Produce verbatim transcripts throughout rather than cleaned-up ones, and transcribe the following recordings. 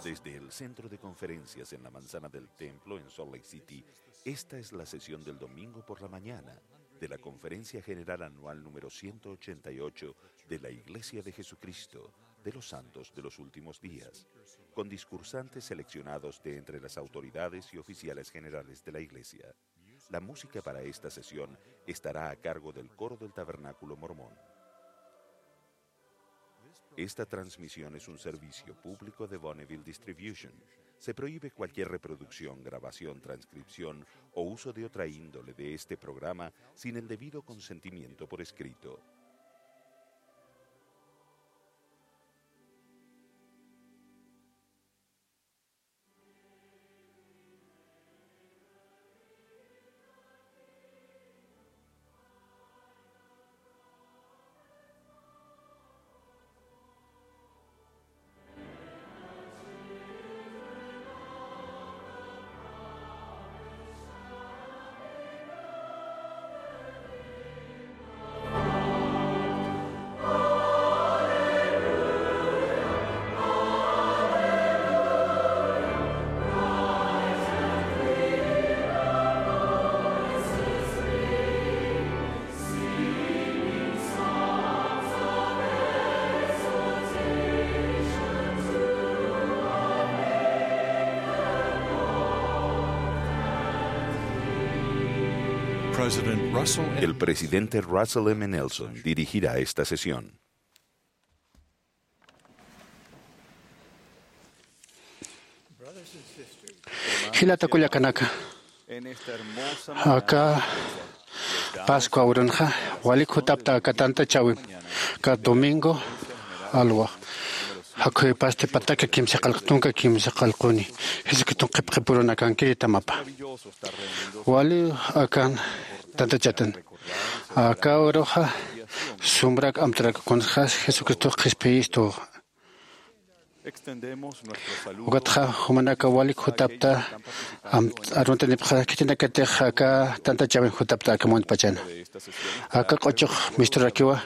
Desde el centro de conferencias en la manzana del templo en Salt Lake City, esta es la sesión del domingo por la mañana de la Conferencia General Anual número ciento ochenta y ocho de la Iglesia de Jesucristo de los Santos de los Últimos Días, con discursantes seleccionados de entre las autoridades y oficiales generales de la Iglesia. La música para esta sesión estará a cargo del coro del Tabernáculo Mormón. Esta transmisión es un servicio público de Bonneville Distribution. Se prohíbe cualquier reproducción, grabación, transcripción o uso de otra índole de este programa sin el debido consentimiento por escrito. President Russell M. El presidente Russell M. Nelson dirigirá esta sesión. Jilata kullakanaka, aka Pascua urunxa walik jutapta aka tantachäwim, aka domingo alwa, jakhuypasti pataka kimsa qallq, tunka kimsa qallquni, Jesucriston qhipqipurunakankirïtamapa. Wali akan tantachatan. Aka uruxa sumbrak amtarak kunsa Jesucristo qhispiyistu. Ukatxa jumanaka walik jutapta am-, aruntanipxa khitinakatix aka tantachäwin jutapta aka munpachana. Aka q'uchux misturakiwa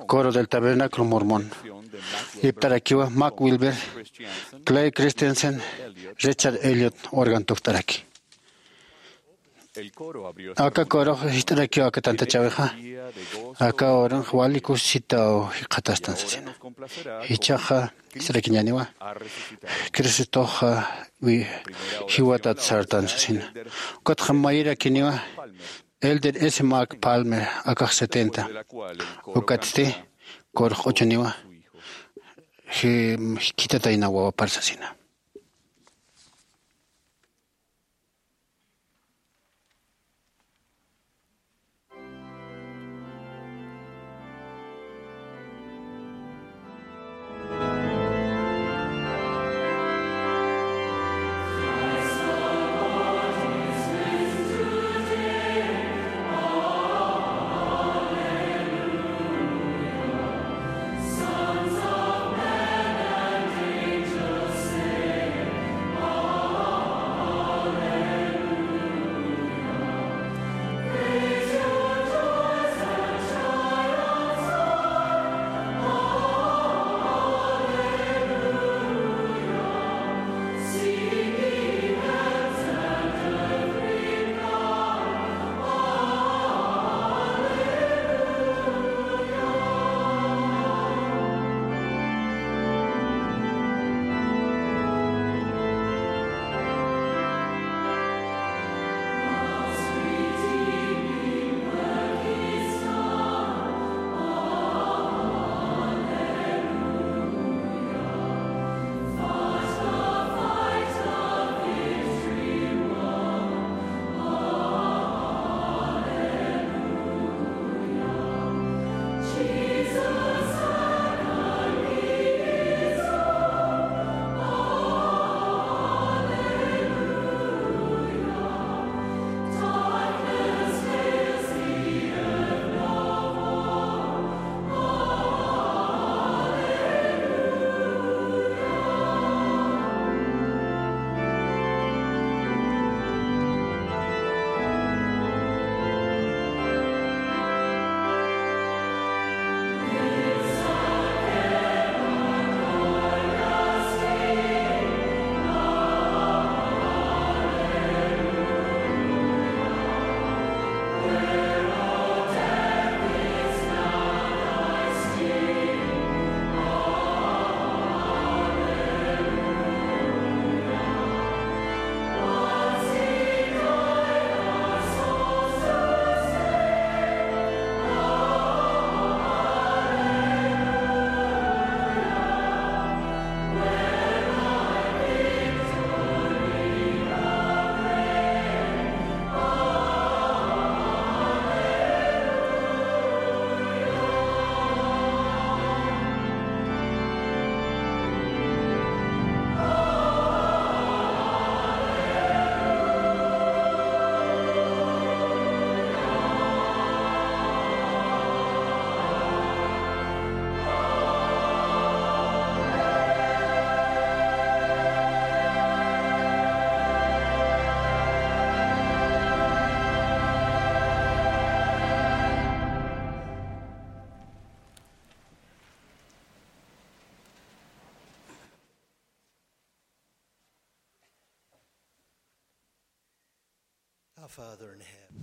Coro del Tabernáculo Mormón. Iptarakiwa Mac Wilber, Clay Christensen, Richard Elliott organ tukt'araki. Aka coro jist'arakiw aka tantachäwixa, aka urunx wali kusisitaw jikxatastan sasina. Jichhaxa jist'arakiñäniwa, Cristoxa wi-, jiwatat sartan sasina. Ukatxa mayirakiniwa Elder S. Mac Palmer, akax setenta. Ukatsti corox q'uchuniwa, ji-, jikhitatayna wawapar sasina.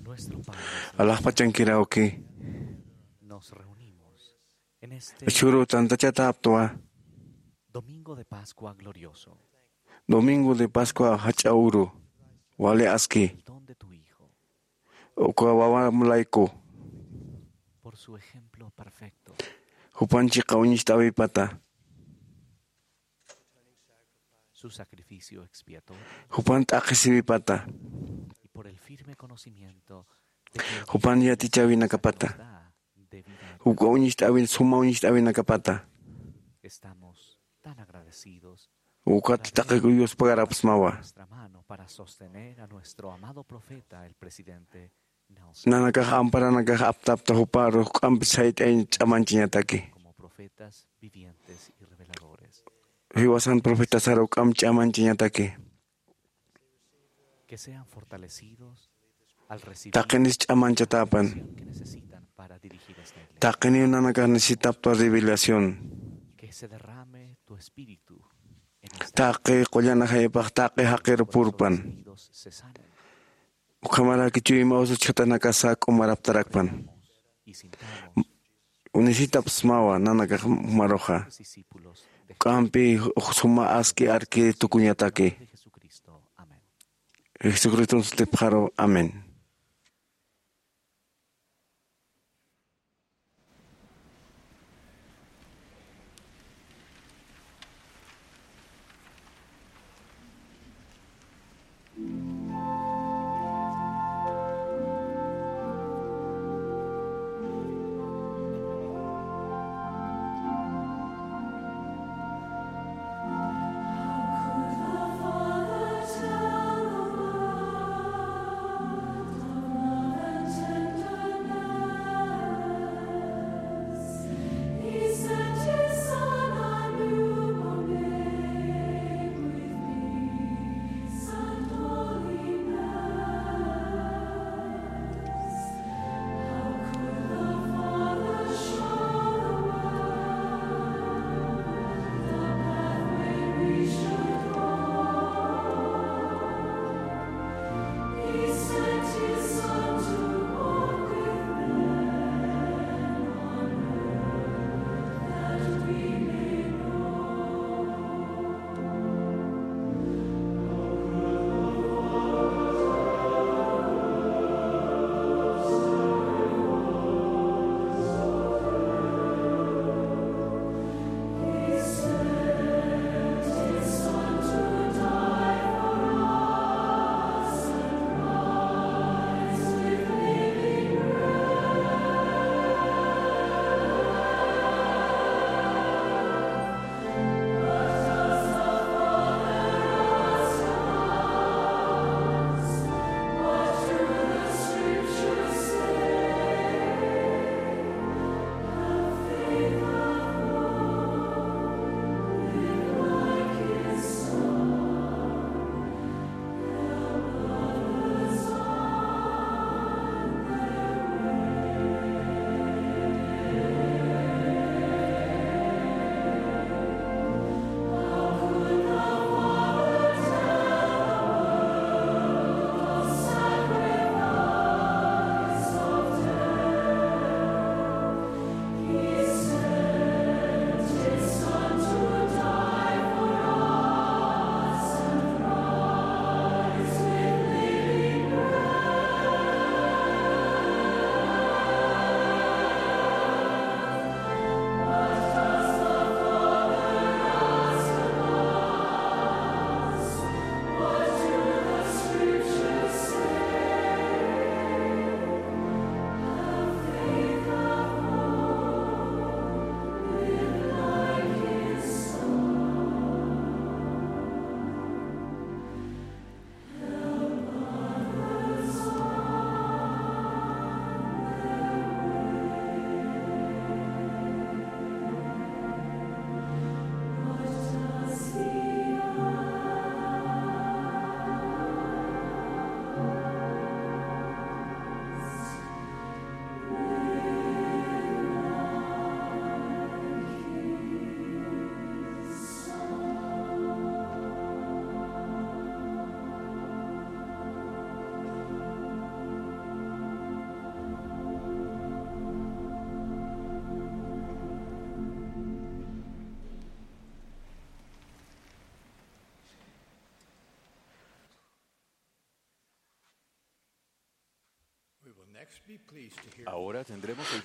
Nuestro Padre, alaxpachankiraki, nos reunimos en este chhuru tantachatäptwa, Domingo de Pascua glorioso, Domingo de Pascua jach'a uru, wali aski, el don de tu Hijo, uka wawam layku, por su ejemplo perfecto, jupan chiqa uñist'äwipata, su sacrificio expiatorio, jupan t'aqhisiwipata, y por el firme conocimiento de que jupan yatichäwinakapata, nos da de vida eterna, uka uñist'äwin, suma uñist'äwinakapata. Estamos tan agradecidos. Ukat taqi yuspagaräpxsmawa. Nuestra mano para sostener a nuestro amado profeta, el presidente Nanakax amparanakax aptapta juparu juk'ampi sayt'añ ch'amañchañataki. Jiwasan profetasar juk'amp ch'amañchañataki. Taqinis ch'amañchatäpan. Taqiniw nanakax necesitapta revelación. Taqi qullan ajaypax taqi jaqiru purpan. Ukhamaraki chuyma usuchjatanakasa k'umaraptarakpan. Unisitapsmawa nanakax jumaruxa. K'ampi suma aski arki tukuñataki. Jesucriston sutipxaru. Amén.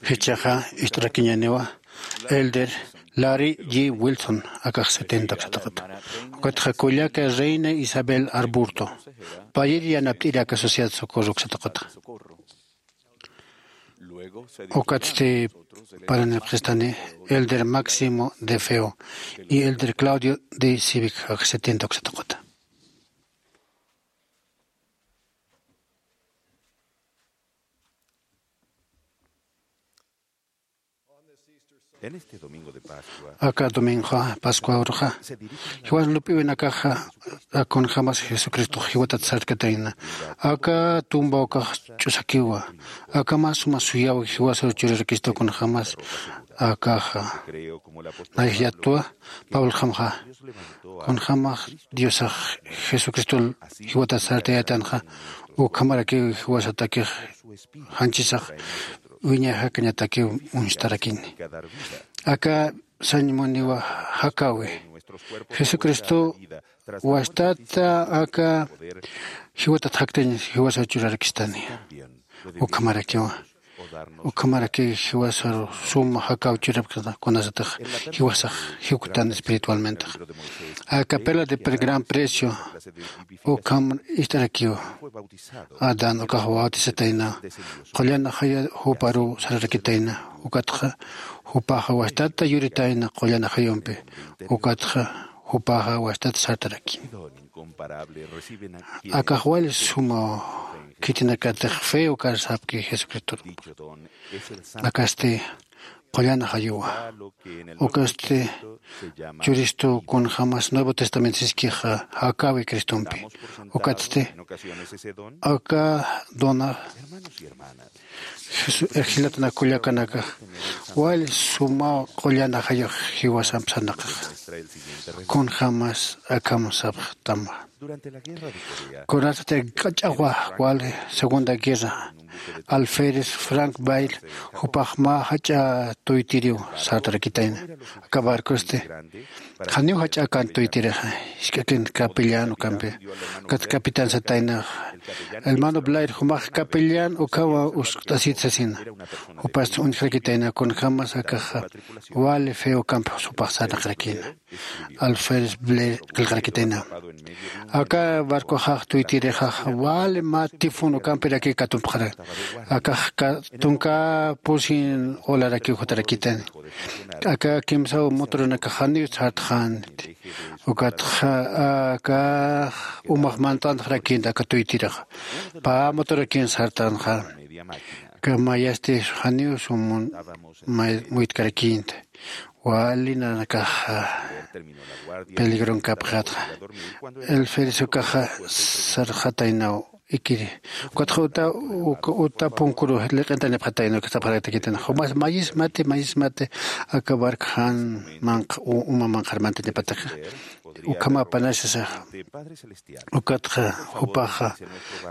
Jichhaxa ist'arakiñäniwa elder Larry G. Wilson, akax setenta uksataqata. Ukatxa kullaka Reina Isabel Arburto, payir yanapt'iri aka Sociedad Socorro uksataqata. Ukatsti paranipxistani elder Máximo de Feo y elder Claudio de Civic, akax setenta uksataqata. En este domingo de Pascua, aka domingo Pascua uruxa, jiwas lup'iwinakaxa kunjamas Jesucristo jiwatat sarkatayna. Aka tumba ukax ch'usakiwa. Aka mä suma suyaw jiwasar churarakistu kunjamas akaxa. Nayax yatwa Pablo jamxa, kunjamax Diosax Jesucristo jiwatat sartayätanxa, ukhamarakiw jiwasatakix janchisax wiñay jakañatakiw uñstarakini. Aka sañ muniwa jakäwi. Jesucristo wastata aka jiwatat jaktañ jiwasar churarakistani. Ukhamarakiwa. Ukhamarakiw jiwasar suma jakäw churapkta kunasatix jiwasax jiwktan espiritualmentax. Aka perla de gran precio ukham ist'arakiw. Adán ukax bautizatayna, qullan ajaya juparuw sararakitayna, ukatxa jupaxa wastata yuritayna qullan ajayumpi, ukatxa jupaxa wastata sartaraki. Akax wali suma khitinakatix fe ukar sapki Jesucristo. Akasti qullan ajayuwa. Ukasti churistu kunjamas Nuevo Testamento siskixa jakäwi Cristompi. Ukatsti aka dona Jesu-, jilatana kullakanakax wali suma qullan ajayux jiwasamp sarnaqaxa. Kunjamas akham sapxtama. Kunasati k'ach'awa wali Segunda Guerra, alférez Frank Bayle jupax mä jach'a tuytiriw sartarakitayna. Aka barcosti janiw jach'a kan tuytirixa, jisk'akin capellán ukampi, ukat capitán satayna. Hermano Blair, jumax capellán ukhama uskt'asit sasina. Jupasti uñjarakitayna, kunjamas akaxa wali fe ukampi jupax sarnaqarakina. Alférez Blair qillqarakitayna. Aka barcoxax tuytirixax wali mä tifón ukampiraki katumpxara. Akax ka-, tunka pusin olarakiw jutarakitan. Aka kimsaw motoranakax janiw sartxänti. Ukatxa akax umax mantanxarakïnti aka tuytirixa. Pä motorakin sartanxa. Aka mayasti janiw sumun may-, muytkarakïnti. Wali nanakax peligron kapxatxa. Alférez ukaxa sarxataynaw ikiri. Ukatxa uta, uka, uta punkuru liq'intanipxataynaw, uka sapxarakitakitayna. Jumas mayismati, mayismati, aka barco jan manq-, u-, uma manqhar mantañapataxa. Ukhamapanasasa. Ukatxa jupaxa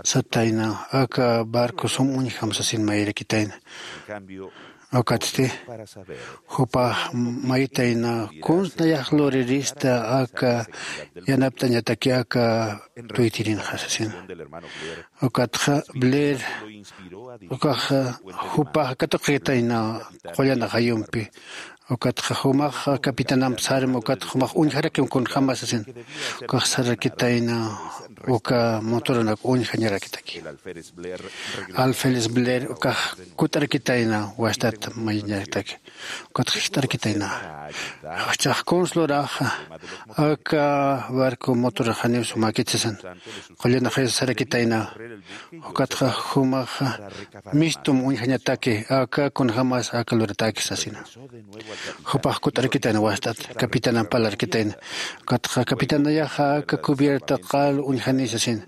satayna, aka barco sum uñjam sasin mayirakitayna. Ukatsti jupax maytayna, kuns nayax lurirista aka yanapt'añataki aka tuytirinxa sasina. Ukatxa Blair ukaxa jupax katuqitayna qullan ajayumpi. Ukatxa jumax capitanamp sarma, ukatxa jumax uñjarakim kunjama sasin. Ukax sarakitayna uka motoranak uñjañarakitaki. Alférez Blair ukax kut'arakitayna wastat mayiñarakitaki. Ukatxa jist'arakitayna. Jichhax kuns luraxa aka barco motorax janiw sumäkit sasin. Qullan ajayas sarakitayna. Ukatxa jumaxa mistum uñjañataki, aka kunjamas aka luratäki sasina. Jupax kut'arakitayna wastat, capitanamp parlarakitayna. Ukatxa capitanayaxa aka cubierta qal uñjani sasina.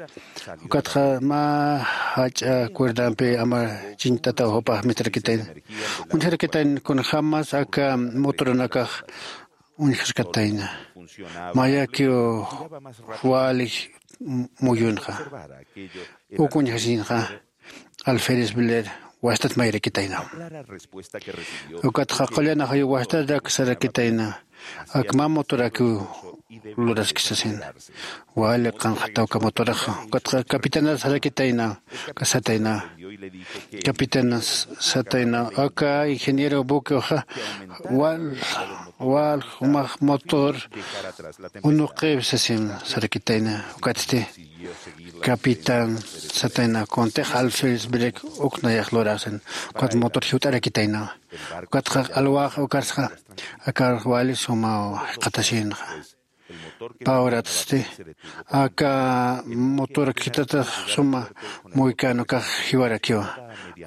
Ukatxa mä jach'a cuerdampi amar chiñt'ataw jupax mistarakitayna. Uñjarakitayna kunjamas aka motoranakax uñjarkatayna. Mayakiw wali muyunxa. Uk uñjasinxa. Alférez Blair wastat mayirakitayna. Ukatxa qullan ajayu wastatak sarakitayna. Ak mä motorakiw luraski sasin. Wali qanqhataw uka motoraxa. Ukatxa capitanar sarakitayna. Uka satayna. Capitana satayna aka ingeniero buquexa wal wal jumax motor unuqip sasin sarakitayna. Ukatsti capitán satayna kuntix alférez break uknayax lurasin. Ukat motor jiwt'arakitaynawa. Ukatxa alwax ukarsxa akar wali sumaw jiqatasinxa. Pawratsti aka motor khitatax suma muykan ukax jiwarakiwa.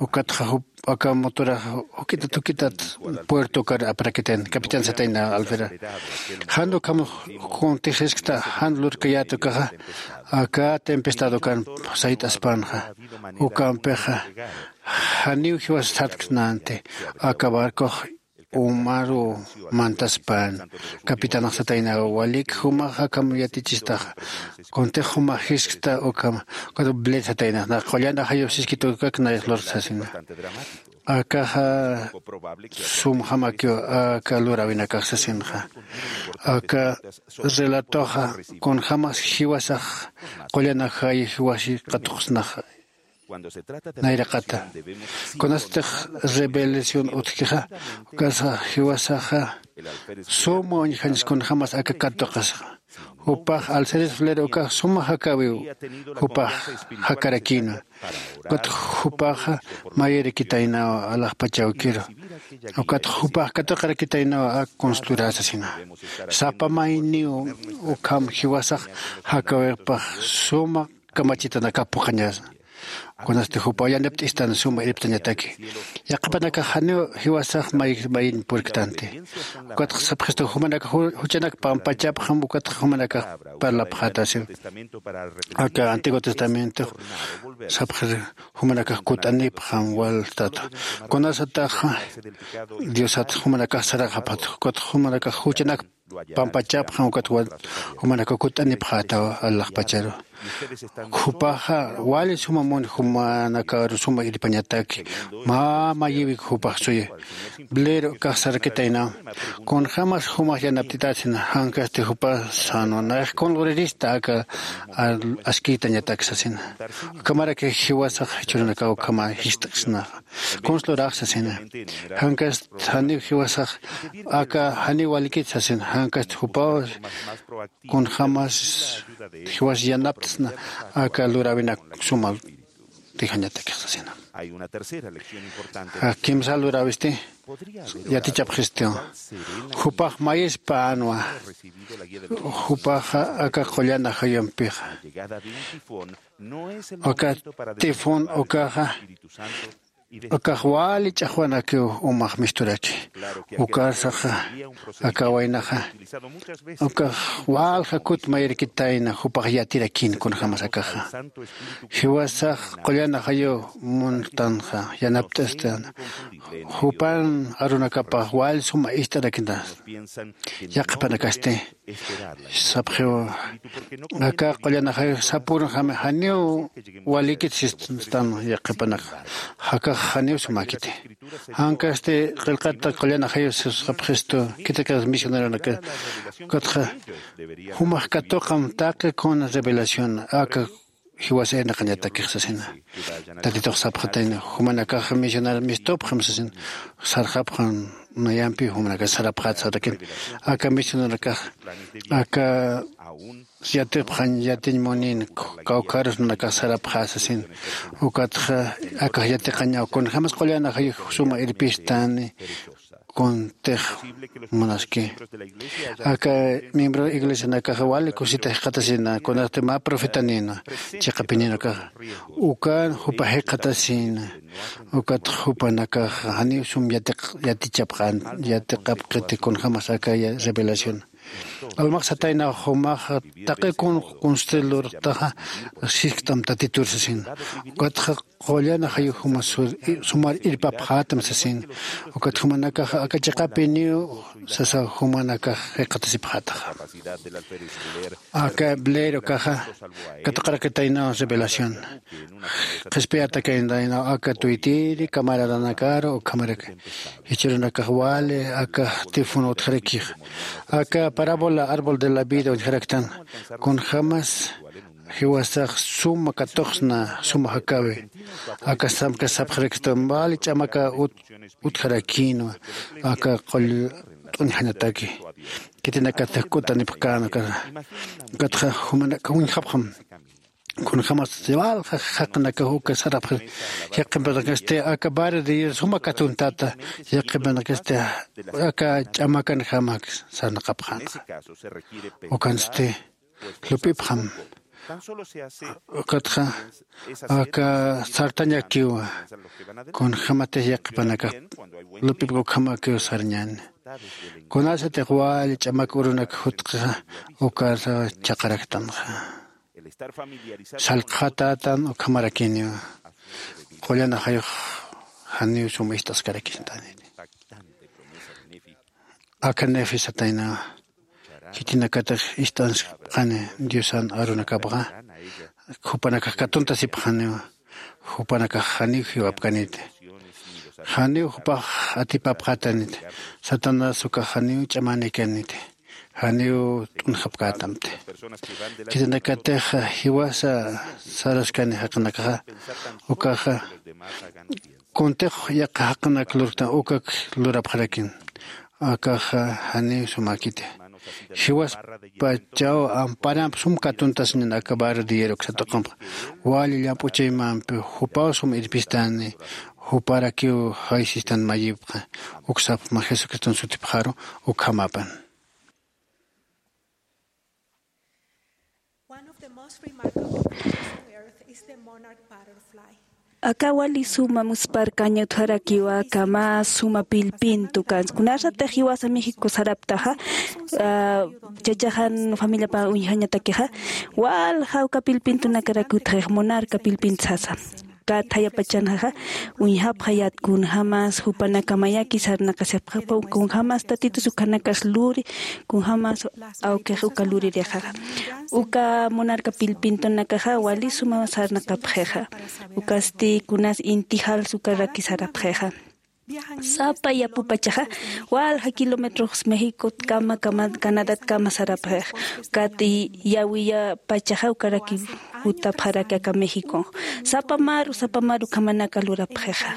Ukatxa aka motorax juk'itat juk'itat puerto ukar aprakiten capitán satayna alfera. Jan ukham kuntix jiskta jan lurkayät ukaxa aka tempestad ukan sayt'aspanxa. Ukampixa janiw jiwas satksnanti aka barcox umaru mantaspan. Capitanax satayna walik jumax akham yatichistaxa. Kuntix jumax jiskta ukham ukat blet satayna na qullan ajayu siskita ukak nayax lurksasina. Akaxa sumjamakiw aka luräwinakax sasinxa. Aka relatoxa kunjämas jiwasax qullan ajayu jiwasi katuqsnaxa. Nayraqata kunastix revelación utjkixa ukasa jiwasaxa suma uñjañas kunjämas aka katuqasxa. Jupax alseres flero ukax suma jakäwiw jupax jakarakïnwa. Ukat jupaxa mayirakitaynawa alaxpachawkiru. Ukat jupax katuqarakitaynawa ak kunslurä sasina. Sapa mayniw ukham jiwasax jakäwipax suma kamachitanakax phuqhañasa. Kunasti jupaw yanapt'istan suma irptañataki. Yaqhipanakax janiw jiwasax may mayin purktanti. Ukatxa sapxistu jumanakax juchanak pampachapxam ukatxa jumanakax parlapxätasiw. Aka antiguo testamento sapxir jumanakax kutt'anipxam waltatu. Kunasataxa diosat jumanakax saraxapxat ukatxa jumanakax juchanak pampachapxam ukat jumanakax kutt'anipxätaw alaxpacharu. Jupaxa wali suma mun jumanakaru suma irpañataki mä mayiwik jupax suyi. Blero ukax sarakitaynaw kunjämas jumax yanapt'itätsina jankasti jupax sänwa nayax kun lurirista aka askïtañatak sasina. Ukhamaraki jiwasax jichhürunakaw ukhama jist'ksnaxa. Kunsa lurax sasina. Jankast janiw jiwasax aka janiw walikit sasina jankast jupaw kunjämas jiwas yanaptsna aka luräwinak suma utjañatakix sasina. Kimsa luräwisti yatichapxistiw. Jupax mayispänwa. Jupaxa aka qullan ajayumpixa aka tifón ukaxa ukax wali ch'axwanakiw umax misturaki. Ukarsaxa aka waynaxa ukax walja kut mayirakitayna jupax yatirakïn kunjämas akaxa. Jiwasax qullan ajayu muntanxa yanapt'astan jupan arunakapax wal suma ist'arakinas. Yaqhipanakasti sapxiw aka qullan ajayu sapürjami janiw walikit sistan yaqhipanaka jakax janiw sumakiti. Jankasti qillqata qullan ajayu sapxistu khitikax misioneronaka ukatxa jumax katuqam taqi kuna revelación aka jiwasa irnaqañatakix sasina. Tatitux sapxatayna jumanakax misionar mistupxam sasina. Sarxapxam nayampi jumanakax sarapxät sarakin aka misionerakax aka yatipxañ yatiñ munin kawkharus nanakax sarapxä sasin. Ukatxa akax yatiqañaw kunjämas qullan ajayux suma irpistani. Kuntix munaski aka miembro iglesianakaxa wali kusita jikxatasina kunasti mä profetanina chiqapininakaxa ukan jupa jikxatasina. Ukatxa jupanakaxa janiw sum yatichapxän yatiqapkiti kunjämas aka revelación. Almax sataynaw jumaxa taqi kun kunstil lurtaxa sisktam tatitur sasin. Ukatxa qullan ajayu juma sumar irpapxätam sasin. Ukat jumanakaxa aka chiqapiniw sasa jumanakax jikxatasipxätaxa. Aka blero ukaxa katuqarakitaynaw revelación. Qhispiyatakinaynaw aka tuytiri camaradanakaru ukhamaraki jichhürunakax wali aka tifón utjarakixa aka parábola árbol de la vida uñjaraktan. Kunjämas jiwasax suma katuqsna, suma jakawi. Aka samka sapxarakistan wali ch'amaka ut-, utjarakïnwa aka qull t'uñjanataki. Khitinakatix k'utanipxkän aka, ukatxa jumanaka uñjapxam. Kunjämas walja jaqinakax uka sarapxir yaqhipanakasti aka barrio de hierro suma katuntata yaqhipanakasti aka ch'amakanjamak sarnaqapxänxa. Ukansti lup'ipxam. Ukatxa aka sartañakiwa. Kunjämatix yaqhipanakax lup'ipx ukhamakiw sarñäni. Kunasatix wali ch'amak urunak jutqixa ukar chhaqaraktanxa. Sallqxatätan ukhamarakiniw. Qullan ajayux janiw sum ist'askarakistäniti. Aka Nefi sataynawa. Khitinakatix ist'askapxani Diosan arunakapxa, jupanakax katuntasipxaniwa. Jupanakax janiw jiwapkaniti. Janiw jupax atipapxätaniti. Satanás ukax janiw ch'amänikaniti. Janiw t'unjapkätamti. Khitinakatix jiwasa saraskani jaqinakaxa, ukaxa kuntix yaqha jaqinaka lurktan ukak lurapxarakin. Akaxa janiw sumäkiti. Jiwaspachaw amparamp sum katuntasiñan aka barrio de hierro uksataqump. Wali llamp'u chaymampi jupaw sum irpistani, juparakiw jaysistan mayipxa. Uksapxma Jesucriston sutipxaru ukhamapan. One of the most remarkable creatures on earth is the monarch butterfly. Aka wali suma muspharkaña utjarakiwa aka mä suma pillpintu kans. Kunasatix jiwasa México saraptaxa, ah, chachaxan familiapan uñjañatakixa, walja uka pillpintunakarak utjix, monarca pillpintu sasa. Kat jayapachanxa uñjapxayät kunjämas jupanaka mayaki sarnaqasipxapxam, kunjämas Tatitus ukhanakas luri, kunjämas awkix uka luririxaxa. Uka monarca pillpintunakaxa wali suma sarnaqapxixa. Ukasti kunas inti jals ukaraki sarapxixa. Sapa yapupachaxa walja kilómetrox Méxicotkama, kama, Canadatkama sarapxixa. Ukat yawiyapachaxa ukaraki jutapxaraki aka México. Sapa maru, sapa maru ukhamanaka lurapxixa.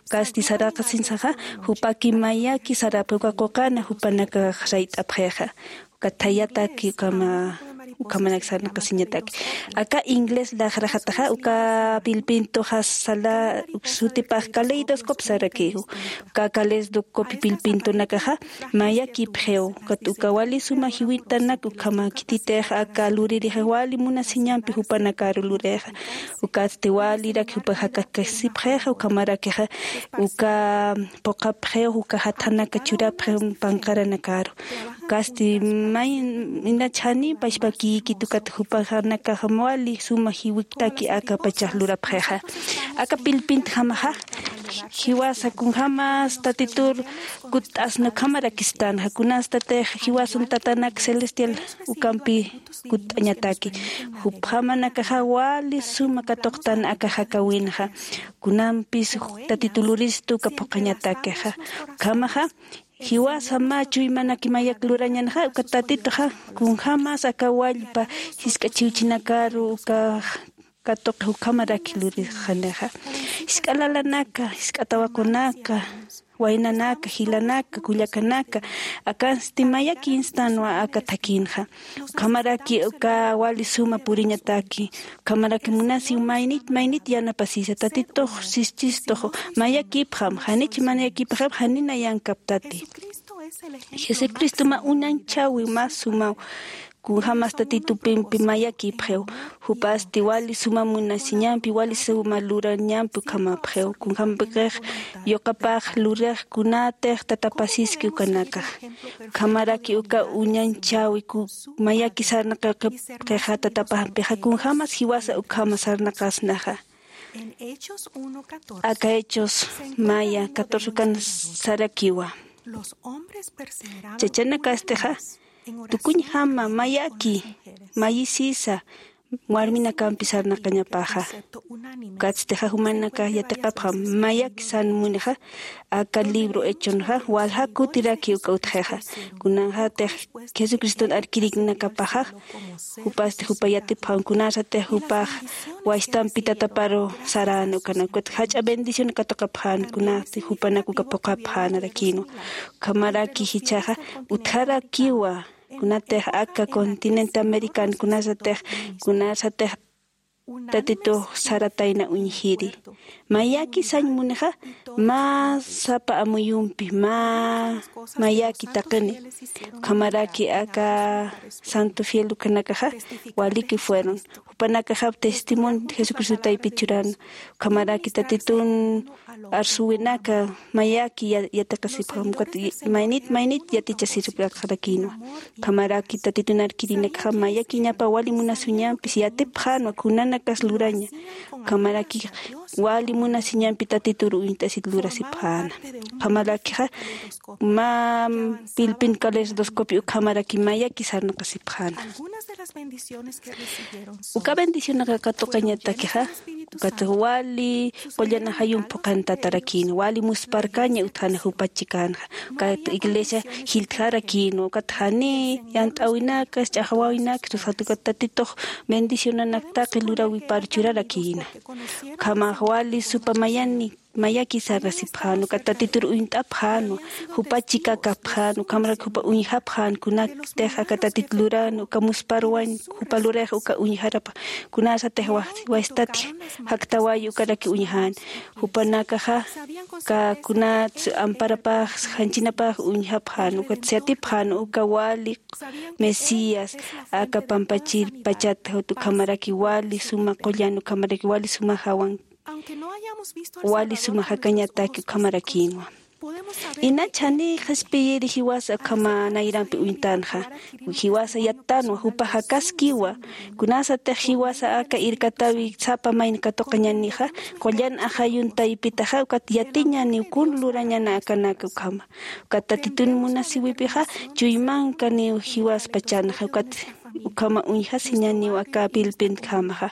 Ukasti saraqasinsaxa, jupaki mayaki sarapxi, uka quqana jupanakax rayt'apxixa. Uka thayataki ukhama, ukhamanak sarnaqasiñataki. Aka inglés laqraxataxa, uka pillpintuxa sala, sutipax caleidoscope sarakiw. Uka caleidoscope pillpintunakaxa mayakipxiw. Ukat uka wali suma jiwitanak ukhama khititix aka luririxa wali munasiñampi jupanakaru lurixa. Ukatsti walirak jupax jakakasipxixa, ukhamarakixa uka phuqhapxiw, uka jathanaka churapxiw panqaranakaru. Ukasti may, inach jani pachpakïkit ukat jupaxanakax wali suma jiwiktaki aka pachax lurapxixa. Aka pillpintjamaxa jiwasa kunjämas Tatitur kutt'asna ukhamarakistänxa, kunastatix jiwasan tatanak celestial ukampi kutt'añataki. Jupjamanakaxa wali suma katuqtan aka jakawinxa. Kunampis Tatitu luristu uka phuqhañatakixa. Ukhamaxa jiwasa mä chuymanaki mayak lurañanxa, uka Tatituxa kunjämas aka wallpa jisk'a chiwchinakaru uka katuqi ukhamaraki lurixanixa. Jisk'a lalanaka, jisk'a tawaqunaka, waynanaka, jilanaka, kullakanaka, akansti mayakinstanwa aka thakhinxa. Ukhamaraki uka wali suma puriñataki, ukhamaraki munasiw maynit, maynit yanapasisa, Tatitux, sististux, mayakipxam, janich mayakipxam, jani nayankaptati. Jesucristo mä uñanchäwi, mä sumaw, kunjämas Tatitupimpi mayakipxiw, jupasti wali suma munasiñampi, wali suma lurañampi ukhamapxiw, kunjämpix yuqapax lurix kunatix tatapasiski ukanakax. Ukhamaraki uka uñanchäwi ku-, mayaki sarnaqipxixa tatapampixa, kunjämas jiwasa ukhama sarnaqasnaxa. Aka Hechos maya catorce ukan sarakiwa. Chachanakastixa, tukuñjama mayaki, mayisisa, warminakampi sarnaqañapaxa. Ukatstixa jumanaka yatiqapxam mayaki san munixa aka libro hechonxa walja kutiraki uka utjixa. Kunanxatix jesucriston arkiriknakapaxax jupasti jupa yatipxam kunasatix jupax waystampi tataparu saräna ukanak jach'a bendición katuqapxäna kunasti jupanak uka phuqhapxänarakïnwa. Ukhamaraki jichhaxa utjarakiwa kunatix aka continente americano kunasatix kunasatix tatitux saratayna uñjiri. Mayaki sañ munixa mä sapa amuyumpi mä mayaki taqini. Ukhamaraki aka santo fiel ukanakaxa waliki fueron jupanakaxap testimonio jesucristo taypit churan. Ukhamaraki tatitun arsuwinaka mayaki ya- yatiqasipxam ukat maynit maynit yatichasirpaqxarakïnwa. Ukhamaraki tatitun arkirinakaxa mayakiñapa wali munasiñampis yatipxänwa kunanakas luraña. Ukhamaraki wali munasiñampi tatitur uñt'asit lurasipxäna. Ukhamarakixa mä pilpin kaleidoscopio ukhamaraki mayaki sarnaqasipxäna. Uka bendicionaqa katuqañatakixa ukat wali qullan ajayum phuqhantatarakïn wali musparkaña utjana jupa chikänxa. Ukat iglesia jiltjarakïn ukat jani yant'äwinakas ch'axwäwinakas usat ukat tatitux bendicionanak taqi luräwipar churarakïna. Ukhamax wali supa mayani mayaki sarnasipxän ukat tatitur uñt'apxänwa jupa chikakapxän ukhamarak jupa uñjapxän kunatix aka tatit luran uka musparwañ jupa lurix uka uñjarapxän. Kunasatix waystat jaktawayi ukaraki uñjän jupanakaxa ka kunats amparapax janchinapax uñjapxän ukat yatipxän uka wali mesías aka pampachir pachat jut ukhamaraki wali suma qullan ukhamaraki wali suma jawan wali suma jakañataki ukhamarakïnwa. Inach jani qhispiyiri jiwasa ukhama nayrampi uñtanxa jiwasa yattanwa jupa jakaskiwa. Kunasatix jiwasa aka irkatäwi sapa mayni katuqañanixa qullan ajayun taypitaxa ukat yatiñaniw kun lurañana akanaka ukhama. Ukat tatitun munasiwipixa chuymankaniw jiwaspachanxa ukat ukhama uñjasiñaniw aka pilpintkamaxa.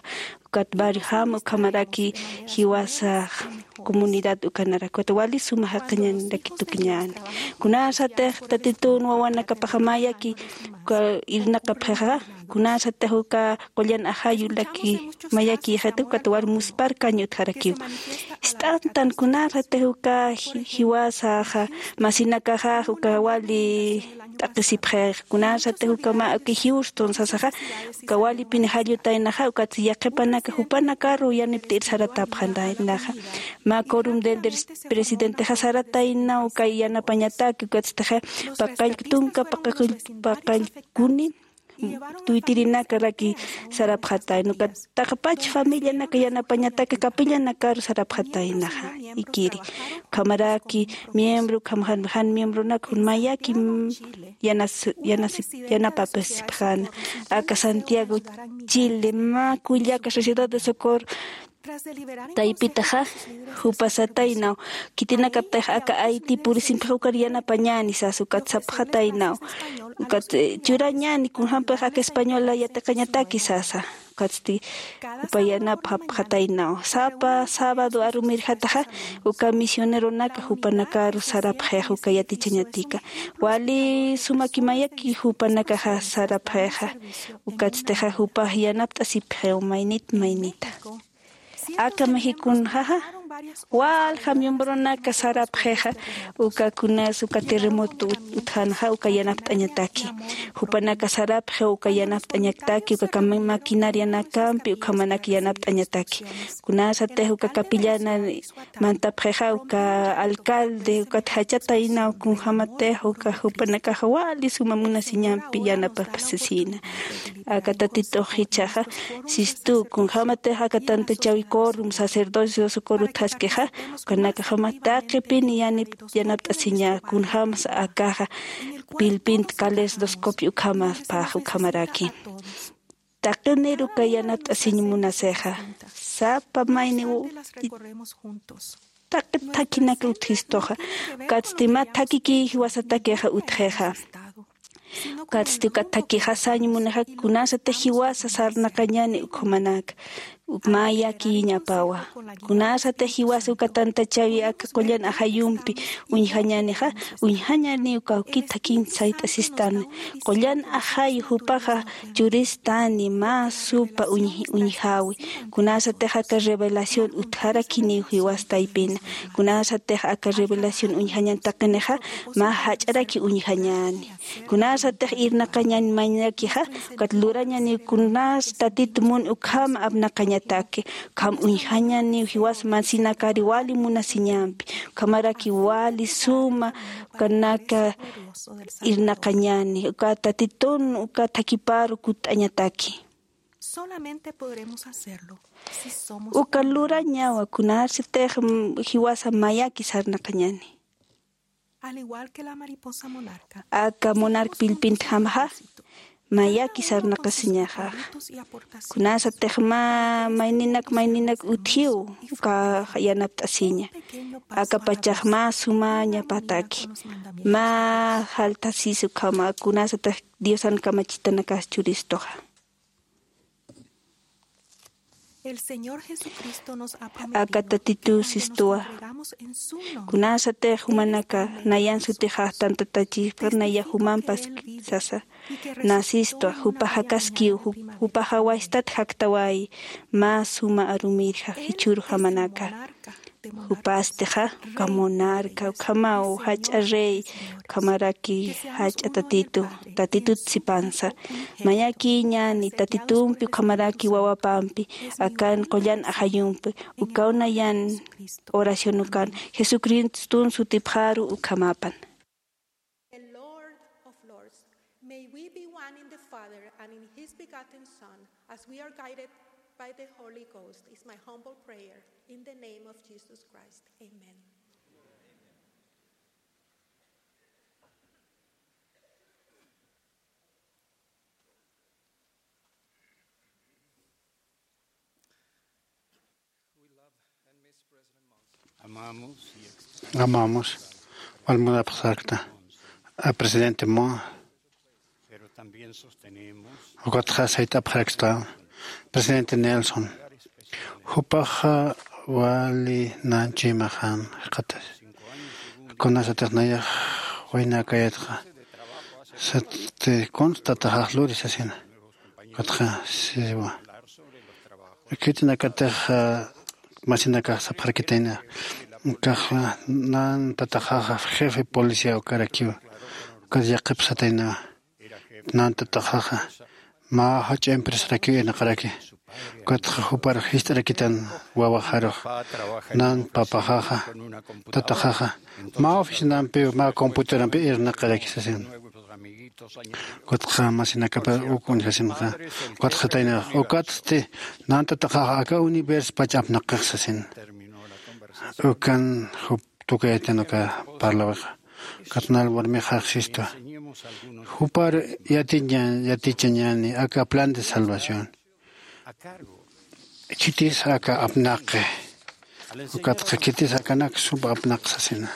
Ukat barriojama ukhamaraki jiwasax comunidad ukanarak ukat wali suma jaqañaniraki tukuñäni. Kunasatix tatitun wawanakapaxa mayaki uka irnaqapxixa kunasatix uka qullan ajayulaki mayakïxita ukat wali musparkañ utjarakiw. Ist'antan kunasatix uka jiwasaxa masinakaxax uka wali t'aqhisipxix kunasatix uka mä uka houston sasaxa uka walipin jallutaynaxa ukat yaqhipanaka jupanakaru yanipt'ir saratapxantaynaxa. Mä corum del presidentexa sarataynaw uka yanapañataki ukatstixa paqallk tunka paqallkuni tuytirinakaraki sarapxatayna ukat taqpach familianaka yanapañataki capillanakaru sarapxataynaxa. Ikiri ukhamaraki miembro ukham jan miembronaka jun mayaki yanapapasipxäna. Aka santiago chile mä kullaka sociedad de socorro taypitaxa jupasataynaw khitinakaptix aka ayti purisimpixa ukar yanapañäni sasa ukat sapxataynaw ukat churañäni kunjampix aka española yatiqañataki sasa. Ukatsti jupa yanapxapxataynaw sapa sábado arumirjataxa uka misioneronaka jupanakaru sarapxix uka yatichañatika wali sumaki mayaki jupanakaxa sarapxixa. Ukatstixa jupax yanapt'asipxiw maynit maynita. Aka mexiconxaxa walja miembronaka sarapxixa uka kunas uka terremoto utjanxa uka yanapt'añataki. Jupanaka sarapxiw uka yanapt'añataki uka maquinarianakampi ukhamanak yanapt'añataki. Kunasatix uka capillana mantapxixa uka alcalde ukat jachataynaw kunjämatix uka jupanakaxa wali suma munasiñampi yanapapasisïna. Aka tatitux jichhaxa sistu kunjämatix aka tantachäwi corum sacerdocio socorro utjaskixa ukanakaxama taqipin yanapt'asiña kunjämsa akaxa pilpint kaleidoscopio ukhamapax ukhamaraki. Taqinir uka yanapt'asiñ munasixa sapa mayniw taqi thakhinak utjistuxa. Ukatsti mä thakhiki jiwasatakixa utjixa. Ukatsti uka thakixa sañ munixa kunasatix jiwasa sarnaqañani ukhumanaka. Mä yakiyiñapawa. Kunasatix jiwasa uka tantachawi aka qullan ajayumpi uñjañänixa, uñjañäni uka awkit thakiñ sayt'asistani. Qullan ajayu jupaxa churistani mä supa uñj- uñjawi. Kunasatix aka revelación utjarakiniw jiwas taypina. Kunasatix aka revelación uñjañan taqinixa mä jach'araki uñjañäni. Kunasatix irnaqañäni mañakixa, ukat lurañäni kunas Tatit mun ukham apnaqañataki, ukham uñjañäni jiwas masinakari wali munasiñampi, ukhamaraki wali suma ukanaka irnaqañäni, uka Tatitun uka thakiparu kutt'añataki. Solamente podremos hacerlo si somos Uka lurañawa kunasatix, mm, jiwasa mayaki sarnaqañäni. Al igual que la mariposa monarca, aka monarca pilpintjamaxa mayaki sarnaqasiñaxa. Kunasatix mä mayninak mayninak utjiw uka yanapt'asiña. Aka pachax mä sumañapataki. Mä jaltasis ukhama kunasatix Diosan kamachitanakas churistuxa. Aka Tatitu sistuwa. Kunasatix jumanaka nayan sutixax tantatachipxar naya jumampas sasa. Nasistuwa jupax jakaskiw, jupaxa waystat jaktawayi. Mä suma arumirja jichhürujamanaka. Jupastixa uka monarca ukhamaw jach'a rey, ukhamaraki jach'a tatitu, tatitut sipansa. Mayakiñani tatitumpi ukhamaraki wawapampi, akan qullan ajayumpi. Ukaw nayan oración ukan jesucristun sutipxaru ukhamapan. The Lord of Lords, may we be one in the Father and in His begotten Son, as we are guided by the Holy Ghost, is my humble prayer in the name of Jesus Christ. Amen. Amamos. Wal munapxsakta a presidente Mo. Ukatxa sayt'apxaraksta presidente Nelson. Jupaxa wali nanchuymaxan jikxatas. Kunasatix nayax waynakayatxa sati kunstataxax luri sasina. Ukatxa siwa. Khitinakatix masinakax sapxarakitayna. Ukaxa nan tataxaxa jefe policía ukarakiwa. Ukat yaqipsataynawa. Nan tataxaxa mä jach'a empresarakiw irnaqaraki. Ukatxa jupar jist'arakitan wawaxarux. Nan papaxaxa tataxaxa mä oficinampiw mä computadorampiw irnaqaraki sasin. Ukatxa masinakapar uk uñjasinxa. Ukatxa taynax ukatsti nan tataxaxa aka universo pach apnaqix sasin. Ukan jup tukaytan uka parlawixa. Katnal warmixax sistu. Jupar yatiña yatichañani aka plan de salvación. Khitis aka apnaqi. Ukatxa khitis akanak sump apnaq sasina.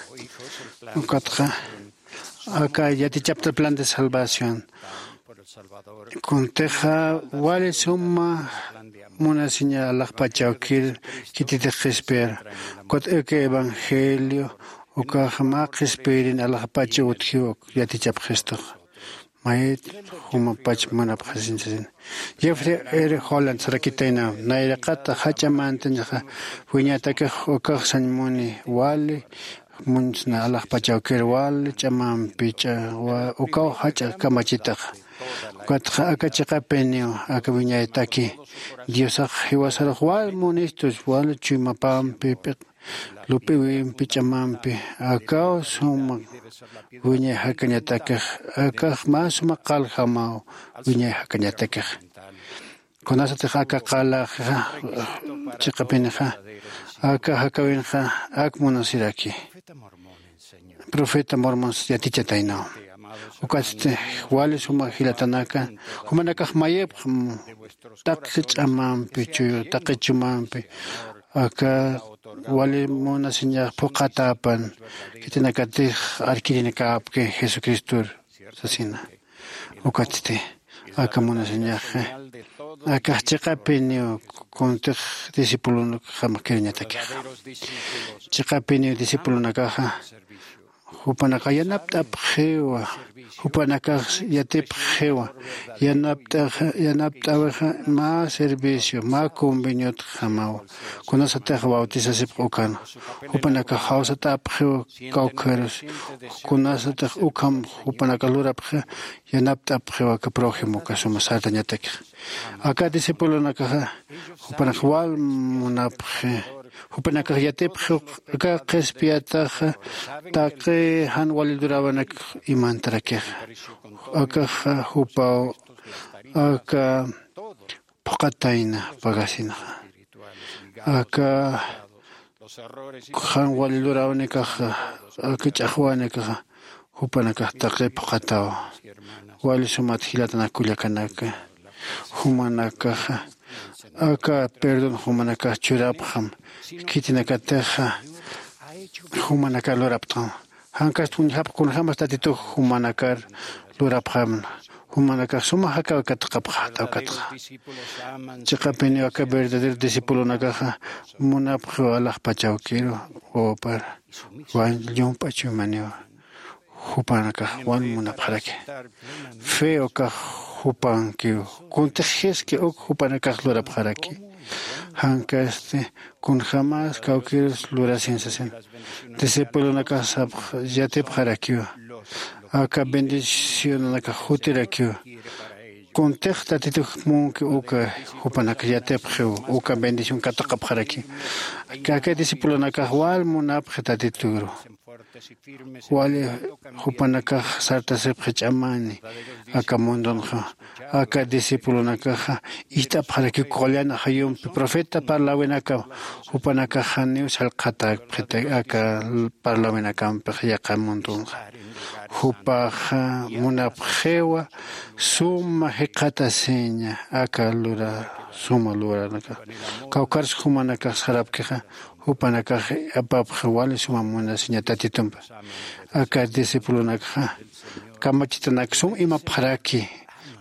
Ukatxa aka yatichapta plan de salvación. Kuntixa wali suma munasiña alaxpach awkir khititix qhispiyar. Ukat aka evangelio ukax mä qhispiyirin alaxpach utjiw yatichapxistux. Mayit jumapach munapxasin sasin. Jeffrey R Holland sarakitayna nayraqata jach'a mantañaxa wiñatakix ukax sañ muni wali munsna alaxpach awkir wali ch'amampi ch'a ukaw jach'a kamachitaxa. Ukatxa aka chiqapiniw aka wiñaytaki diosax jiwasarux wal munistus wal chuymapampi p'iq lup'iwimpi ch'amampi akaw suma wiñay jakañatakix. Akax mä suma qaljamaw wiñay jakañatakix. Kunasatix aka qalaxa chiqapinixa aka jakawinxa ak munasiraki. Profeta mormons yatichataynaw. Ukatsti wali suma jilatanaka jumanakax mayipx taqi ch'amampi chuyu taqi chumampi aka wali munasiñax phuqhatäpan khitinakatix arkirinakäpki jesucristor sasina. Ukatsti aka munasiñaxa akax chiqapiniw kuntix discipulonakjamax kiriñatakixa. Chiqapiniw discipulonakaxa jupanakax yanapt'apxiwa, jupanakax yatipxiwa. Yanapt'axa yanapt'awixa mä servicio mä conveniotjamawa. Kunasatix bautisasipx ukan jupanakax jawsat'apxiw kawkharus. Kunasatix ukham jupanakax lurapxi yanapt'apxiw aka prójimoka suma sartañatakixa. Aka discipulonakaxa jupanakax wal munapxi. Jupanakax yatipxiw aka qhispiyataxa taqi jan wali luräwinak imantarakixa. Akaxa jupaw aka phuqhatayna pagasinxa. Aka jan wali luräwinakaxa aka ch'axwänakaxa jupanakax taqi phuqhataw. Wali sumat jilatanak kullakanaka, jumanakaxa aka perdón jumanakax churapxam khitinakatixa jumanakar lurapxtam. Jankast uñjapx kunjämas tatitux jumanakar lurapxämna. Jumanakax suma jakaw kataqapxäta ukatxa. Chiqapiniw aka verdadero discipulonakaxa munapxiw alaxpach awkiru wawapar wañ llump'a chuymaniw. Jupanakax wal munapxaraki. Fe ukax jupankiw kuntix jiski uk jupanakax lurapxaraki. Jankasti kunjämas kawkirus lurasin sasin. Discipulonakax sapx yatipxarakiw aka bendicionanakax jutirakiw. Kuntix tatitux munki uka jupanakax yatipxiw uka bendición kataqapxarakiw. Aka discipulonakax wal munapxi tatituru. Wali jupanakax sartasipxi ch'amani aka mundonxa. Aka discipulonakaxa ijt'apxarakiw qullan ajayumpi profeta parläwinakaw. Jupanakax janiw sallqatäpxiti aka parläwinakampix yaqha mundonxa. Jupaxa munapxiwa suma jikxatasiña aka lura suma luranakax. Kawkharus jumanakax sarapkixa jupanakax apapxi wali suma munasiña tatitumpi. Aka discipulonakxa kamachitanak sum imapxaraki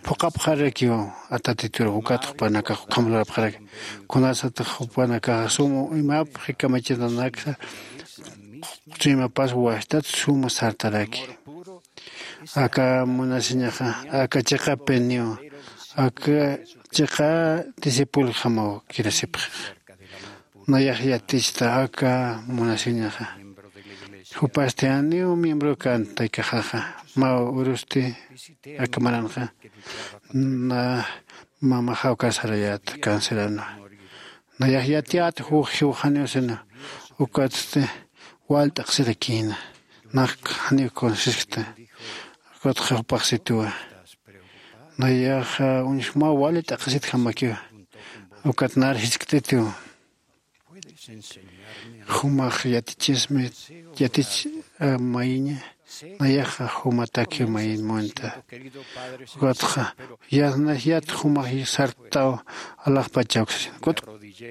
phuqhapxarakiw. Atatitur ukat jupanakax ukham lurapxaraki. Kunasatix jupanakax sum imapxi kamachitanaksa chuymapas wastat suma sartaraki. Aka munasiñaxa aka chiqapiniw aka chiqa discipuljamaw kirasipxi. Nayax yatichta aka munasiñaxa. Jupasti janiw miembro kantaykaxaxa mä urusti aka maranxa na mamaxaw casarayäta canceranwa. Nayax yatiyät juj jiwxaniw sina ukatsti wal t'aqsirakïna. Nax janiw consejosta. Ukatxa jupax situwa nayaxa uñjmaw wali t'aqsitjamakiwa. Ukat nar jiskt'itiw. Jumax yatichismi yatich mayiña. Nayaxa jumatakiw mayin munta. Ukatxa yasnax yat jumax sartaw alaxpachawk sasin kut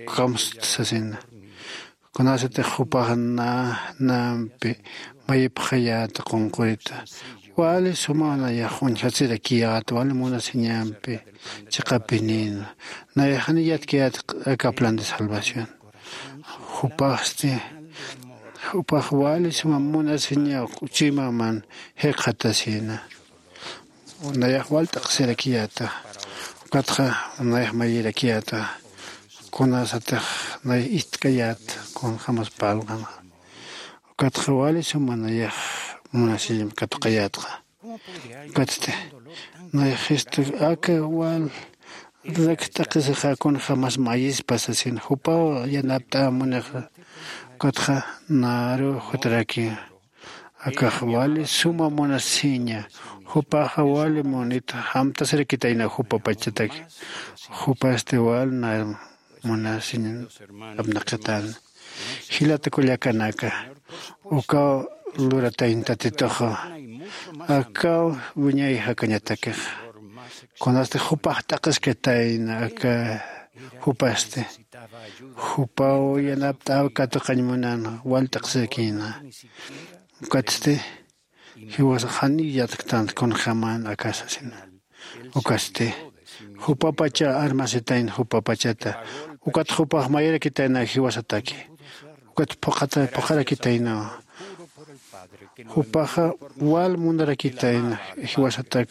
kamst sasina. Kunasatix jupax nanampi mayipxayäta qunqurita wali sumaw nayax uñjatsirakiyäta wali munasiñampi chiqapinïna. Nayax janiw yatkayäta aka plan de salvación. Jupaxsti jupax wali suma munasiñaw chuymaman jikxatasïna. Nayax wal t'aqsirakiyäta. Ukatxa nayax mayirakiyäta. Kunasatix nayax istkayät kunjämas parlqanxa. Ukatxa wali suma nayax munasiñam katuqayätxa. Ukatsti nayax jistu aka wal rak t'aqisixa kunjämas mayispa sasin jupaw yanapt'ämunixa. Ukatxa naru jutaraki. Akax wali suma munasiña. Jupaxa wali munit jamtasirakitayna jupapachataki. Jupasti wal na munasiñ apnaqitana. Jilata kullakanaka, ukaw luratayna tatituxa. Akaw wiñay jakañatakixa. Kunasti jupax t'aqhiskatayna aka jupasti jupaw yanapt'äw katuqañ munan wal t'aqhiskakïna. Ukatsti jiwasax janiw yatktant kunjämän aka sasina. Ukasti jupapacha armasitayna jupapachata. Ukat jupax mayarakitayna jiwasataki. Ukat phuqata phuqarakitayna. Jupaxa wal munarakitayna jiwasatak.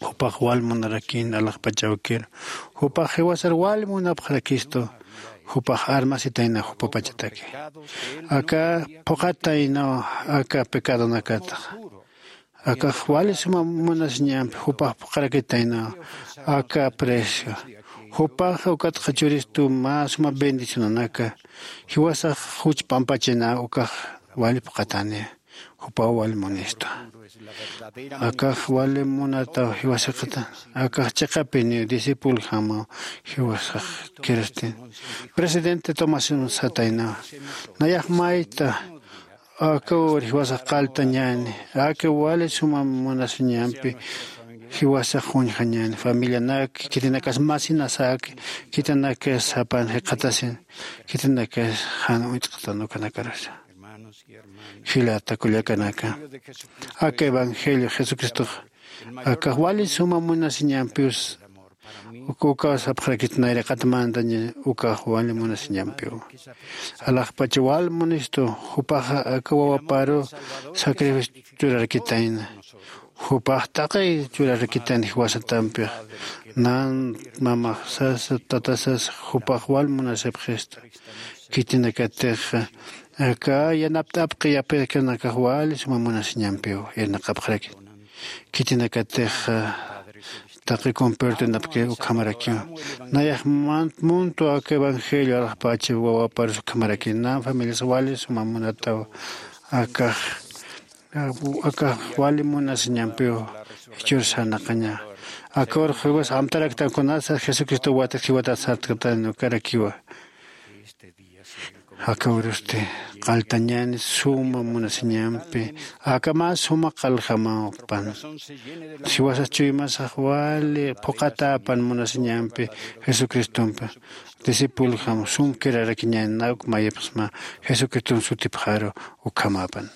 Jupax wal munarakin alaxpachawkir. Jupax jiwasar wal munapxarakistu. Jupax armasitayna jupapachataki. Aka phuqatayna aka pecadonakatax. Akax wali suma munasiñampi jupax phuqarakitayna. Aka precio jupax ukatxa churistu mä suma bendicionanaka. Jiwasax juch pampachina ukax wali phuqatani. Jupaw wali munistu. Akax wali munataw jiwasiqata. Akax chiqapiniw discipul jamaw jiwasax kiristin. Presidente tomasin sataynawa. Nayax mayta akawar jiwasax qaltañani. Aka wali suma munasiñampi jiwasax juñjañani familianak khitinakas masinasak khitinakas sapan jiqatasin khitinakas jan uñt'qtan ukanakarusa. Jilata kullakanaka, aka evangelio jesucristox akax wali suma munasiñampiws. Uka sapxarakit nayraqat mandaña ukax wali munasiñampiw. Alaxpacha wal munistu. Jupaxa aka wawaparu sacrificio churarakitayna. Jupax taqi churarakitayna jiwasatampix. Nan mamaxsasa tatasasa jupax wal munasipxistu. Khitinakatix aka yanapt'apqi yapikanakax wali suma munasiñampiw irnaqapxarakit. Khitinakatix taqi compertunapki ukhamarakiw. Nayax muntu aka evangelio alaxpacha wawaparus ukhamaraki nan familias wali suma munataw. Akax akax wali munasiñampiw. Jichhür sarnaqaña. Akawar jiwas amtaraktan kunasa jesucristo watat jiwatat sartktan ukarakiwa. Akawrusti qaltañani suma munasiñampi. Aka mä suma qaljamapan jiwasas chuymasax wali phuqatäpan munasiñampi jesucristompi. Discipuljam sum kirarakiñani nawk mayipxsma jesucriston sutipxaru. Ukhamäpan.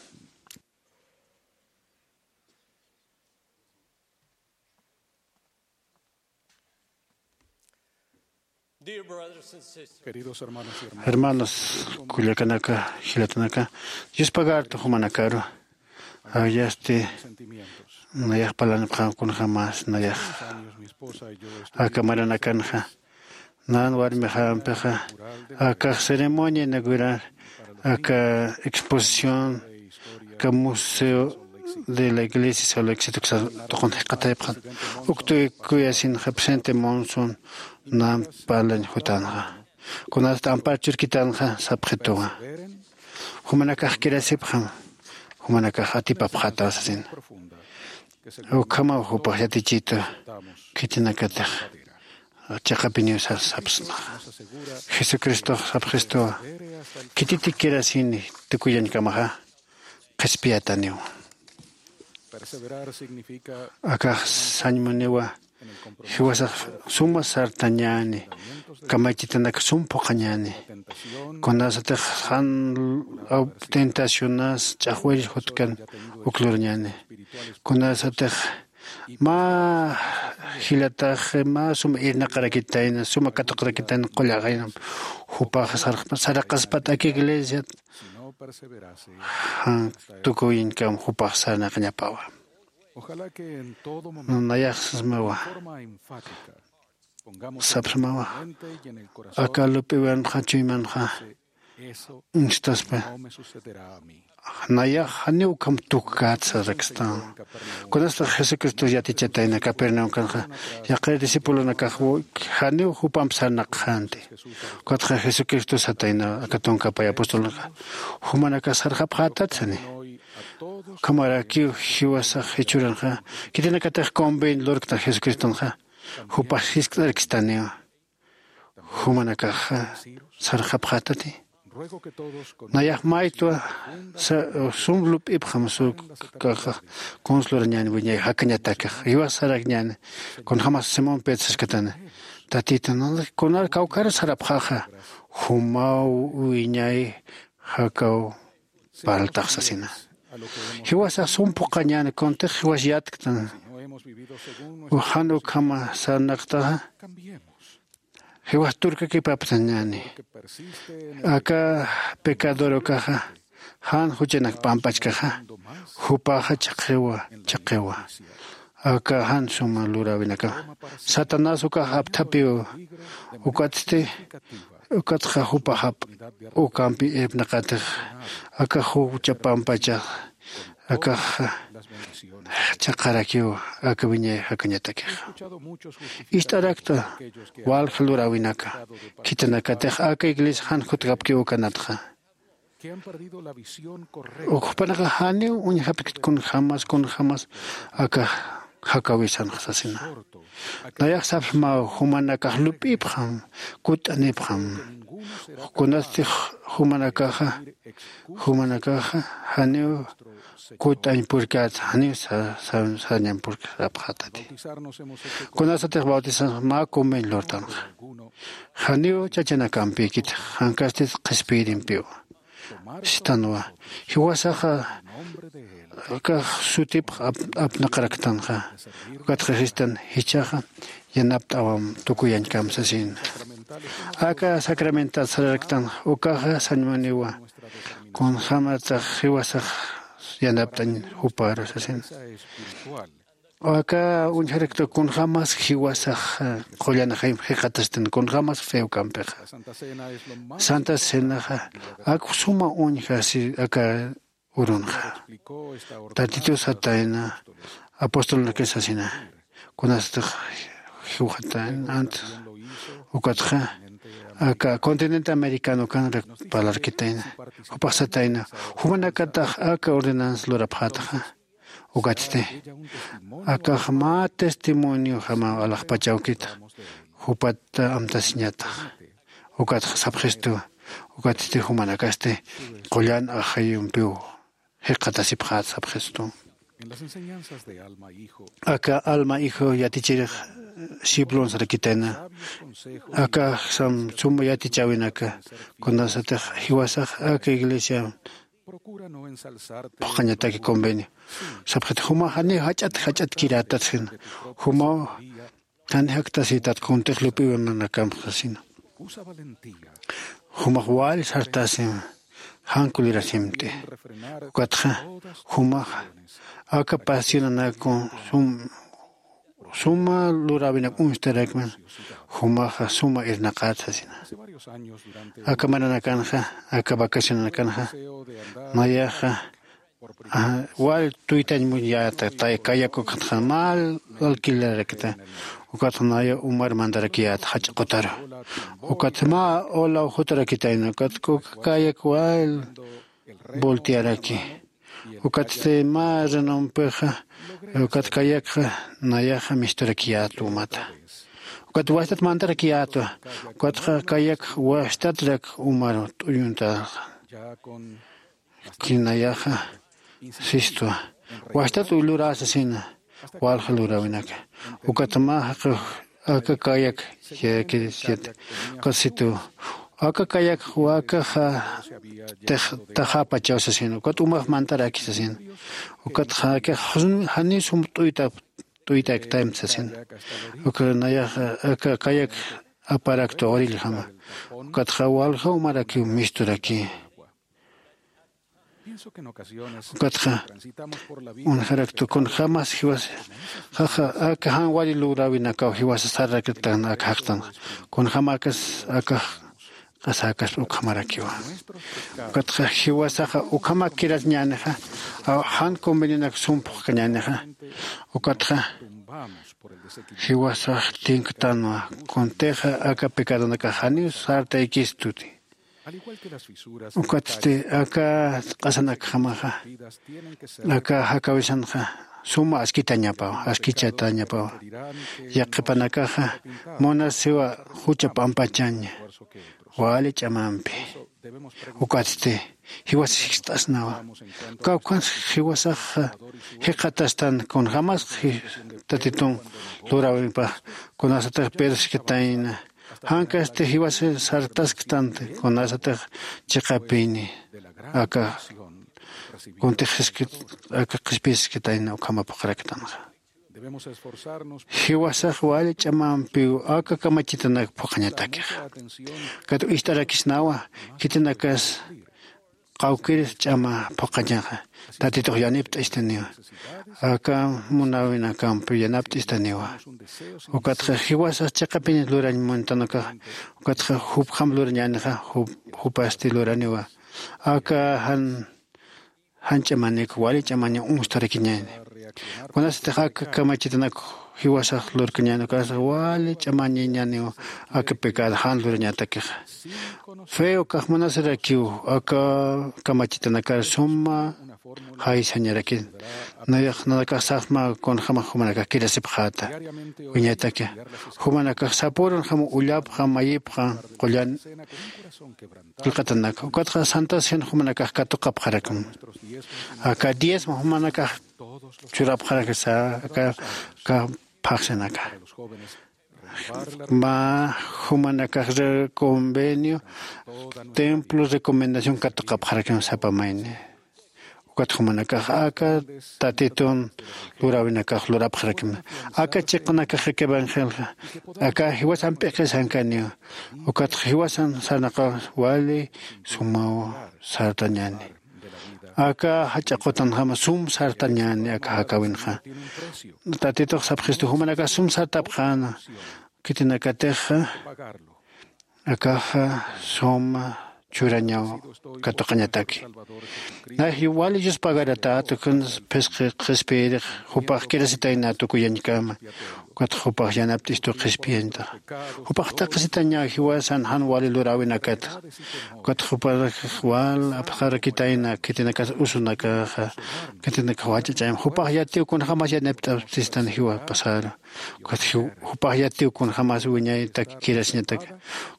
Hermanos, kullakanaka, jilatanaka, yuspagartu jumanakaru. Ayasti nayax palanipxan kunjämas nayax aka maranakanxa. Nan warmixampixa akax ceremonia inaugural aka exposición aka museo de la iglesia solo éxito tuqun jikxatayapxan. Uktuy kuyasinxa presente monson nan parlañ jutanxa. Kunasat ampar churkitanxa sapxituwa. Jumanakax kirasipxam jumanakax atipapxataw sasina. Ukhamaw jupax yatichitu khitinakatix chiqapiniw sapsmaxa. Jesucristox sapxistuwa. Khititik kirasini tukuyañkamaxa qhispiyataniw. Akax sañmuniwa. Jiwasax suma sartañäni. Kamachitanak sum phuqhañäni. Kunasatix jan tentacionas ch'axwirir jutkan uk lurañäni. Kunasatix mä jilatax mä suma irnaqarakitayna suma katuqarakitayna qullaqaynam. Jupax sarqaspat aka iglesiat jan tukuyiñkam jupax sarnaqañapawa. Nayax sasmawa sapsmawa aka lup'iwanxa chuymanxa uñstaspa. Nayax janiw ukham tukkätsarakstan. Kunastax jesucristo yatichatayna capernaum kanxa yaqir discipulonakax janiw jupamp sarnaqxanti. Ukatxa jesucristo satayna aka tunkapay apostolonaka jumanakax sarxapxätat sani. Ukhamarakiw jiwasax jichhüranxa khitinakatix convenio lurktan jesucristonxa jupax jiskt'arkistaniwa. Jumanakax sarxapxätati. Nayax maytwa sum lup'ipxam sukaxa kuns lurañäni wiñay jakañatakax jiwas sarakñäni. Kunjämas simón pedro saskatana tatita kunar kawkhar sarapxaxa jumaw wiñay jakaw parltax sasina. Jiwasax sum phuqhañäni kuntix jiwas yatktan. Jan ukhama sarnaqtaxa jiwas turkakipapsañäni. Aka pecador ukaxa jan juchanak p'ampachkaxa jupaxa chhaqhiwa chhaqhiwa. Aka jan suma luräwinakaw satanás ukax apthapiw. Ukatsti ukatxa jupax jap'u ukampi irpnaqatix aka jucha p'ampachax akax chhaqharakiw aka wiñay jakañatakixa. Ist'arakta walja luräwinaka khitinakatix aka iglesia jan jutjapkiw ukanatxa. Ukxpanaxa janiw uñjapkit kunjämas kunjämas aka jakawisanxa sasina. Nayax sapxmaw jumanakax lup'ipxam kutt'anipxam. Kunasti jumanakaxa jumanakaxa janiw kutt'añ purkät janiw sañampurkapxätati. Kunasatix bautizanxa mä convenio lurtanxa janiw chachanakampïkit jankastit qhispiyirimpiw. Sistanwa jiwasaxa akax sutipx apnaqaraktanxa. Ukatxa sistan jichhaxa yanapt'awam tukuyañkam sasina. Aka sacramental sararaktanxa ukaxa sañmuniwa kunjämatax jiwasax yanapt'añ juparu sasina. Aka uñjarakta kunjämas jiwasax qullan jayma jikxatastan kunjämas feo kampixa. Santa cenaxa ak suma uñja aka urunxa. Tatitus satayna apostolunakis sasina kunasatix jiwxatayna antes ukatxa aka continente americano ukanrak parlarkitayna. Jupax satayna jumanakatax aka ordenanza lurapxätaxa. Ukatsti akax mä testimonio jama alaxpachawkit jupat amtasiñatax. Ukatxa sapxistu ukatsti jumanakasti qullan ajayumpiw jikxatasipxät sapxistu. Aka alma hijo yatichirix siplun sarakitayna. Akaxsam suma yatichäwinaka kunasatix jiwasax aka iglesia phuqhañataki convenio sapxit jumax janiw jach'at jach'atkirätat sina. Jumaw jan jaktasïtat kuntix lup'iwimanakamp sasina. Jumax wal sartasim jan kulirasimti. Ukatxa jumax aka pasionanaku sum suma luräwinak uñstarakman jumaxa suma irnaqat sasina. Aka maranakanxa aka vacacionanakanxa nayaxa wal tuytañ muñyäta. Kayak ukatxa mä alquilerakta ukatxa naya umar mantarakiyäta jach'a qutaru. Ukatxa mä olaw jutarakitayna ukatxa uka kayak wal voltearaki. Ukatsti mä renompixa ukat kayakxa nayaxa misturakiyätwa umata. Ukat wastat mantarakiyätwa. Ukatxa kayakxa wastatrak umar t'uyuntaxa. Kinayaxa sistwa wastat lurä sasina. Walja luräwinaka ukat mä jaqix aka kayak yayakirisitu. Ukat situ aka kayak wakaxa taxapachaw sasina ukat umax mantaraki sasina. Ukat janiw sum t'uyta t'uytaktaymt sasina. Ukat nayaxa aka kayak aparaktwa oriljama. Ukatxa walja umarakiw misturaki. Ukatxa uñjaraktu kunjämas jiwasaxa aka jan wali luräwinakaw jiwasa sarraktan aka jaqtanxa kunjämakas aka q'asäkaspa ukhamarakiwa. Ukatxa jiwasaxa ukhamak kirasiñänixa jan convenionak sum phuqkañänixa. Ukatxa jiwasax tinktanwa kuntixa aka pecadonakax janiw sartaykistuti. Ukatsti aka q'asanakjamaxa aka jakawisanxa suma askitañapawa askichatañapawa. Yaqhipanakaxa munasiwa jucha p'ampachaña wali ch'amampi. Ukatsti jiwasa jikst'asnawa kawkhansa jiwasaxa jikxatastan kunjämas tatitun luräwinpax kunasatix perskitayna. Jankasti jiwasa sartasktanti kunasatix chiqapini aka kuntix aka qhispiskitayna ukhama phuqharaktanxa. Jiwasax wali ch'amampiw aka kamachitanak phuqhañatakixa. Kat ist'arakisnawa, khitinakas qawkir ch'ama phuqhañaxa. Tatitux yanipt'istaniwa. Aka munawinakampi yanapt'istaniwa. Ukatxa jiwasax chiqapin lurañ muntanakax, ukatxa jupjam lurañänixa, jup-, jupasti luraniwa. Aka jan, jan ch'amanik, wali ch'amaña unstarakiñäni. Kunasatix aka kamachitanak jiwasax lurkañäni, ukasa wali ch'amañañäniwa aka pecado jan lurañatakixa. Fe ukax munasarakiw aka kamachitanakar suma jaysañarakin. Nayax nanakax sasma kunjama jumanakax kirasipxäta. Wiñaytaki. Jumanakax sapürunjama ullapxa, mayipxa, qullan qillqatanak. Ukatxa Santa Cena jumanakax katuqapxarakim. Aka diezmo jumanakax churapxarakisa, aka, aka phaxsinaka. Mä jumanakax re-, convenio, templo recomendación katuqapxarakim sapa mayni. Ukat jumanakax aka Tatitun luräwinakax lurapxarakim. Aka chiqanakax aka evangelio, aka jiwasan p'iqisankaniwa. Ukat jiwasan sarnaqaw wali sumaw sartañäni. Aka jach'a qutanjama sum sartañäni aka jakäwinxa. Tatitux sapxistu jumanakax sum sartapxäna. Khitinakatixa akaxa suma churañaw katuqañataki. Nayax wali Dios pagaratätu, kun phisqi qhispiyirix jupax kirasitayna tukuyañkama. Ukat jupax yanapt'istu qhispiyañtaxa. Jupax taqisitaña jiwasan jan wali luräwinakata. Ukat jupax wal apxarakitayna khitinakas usunakaxa, khitinakax wach'ach'ayma. Jupax yatiw kunjämas yanapt'aptistan jiwapasaru. Ukat jiw-, jupax yatiw kunjämas wiñaytak kirasiñatak.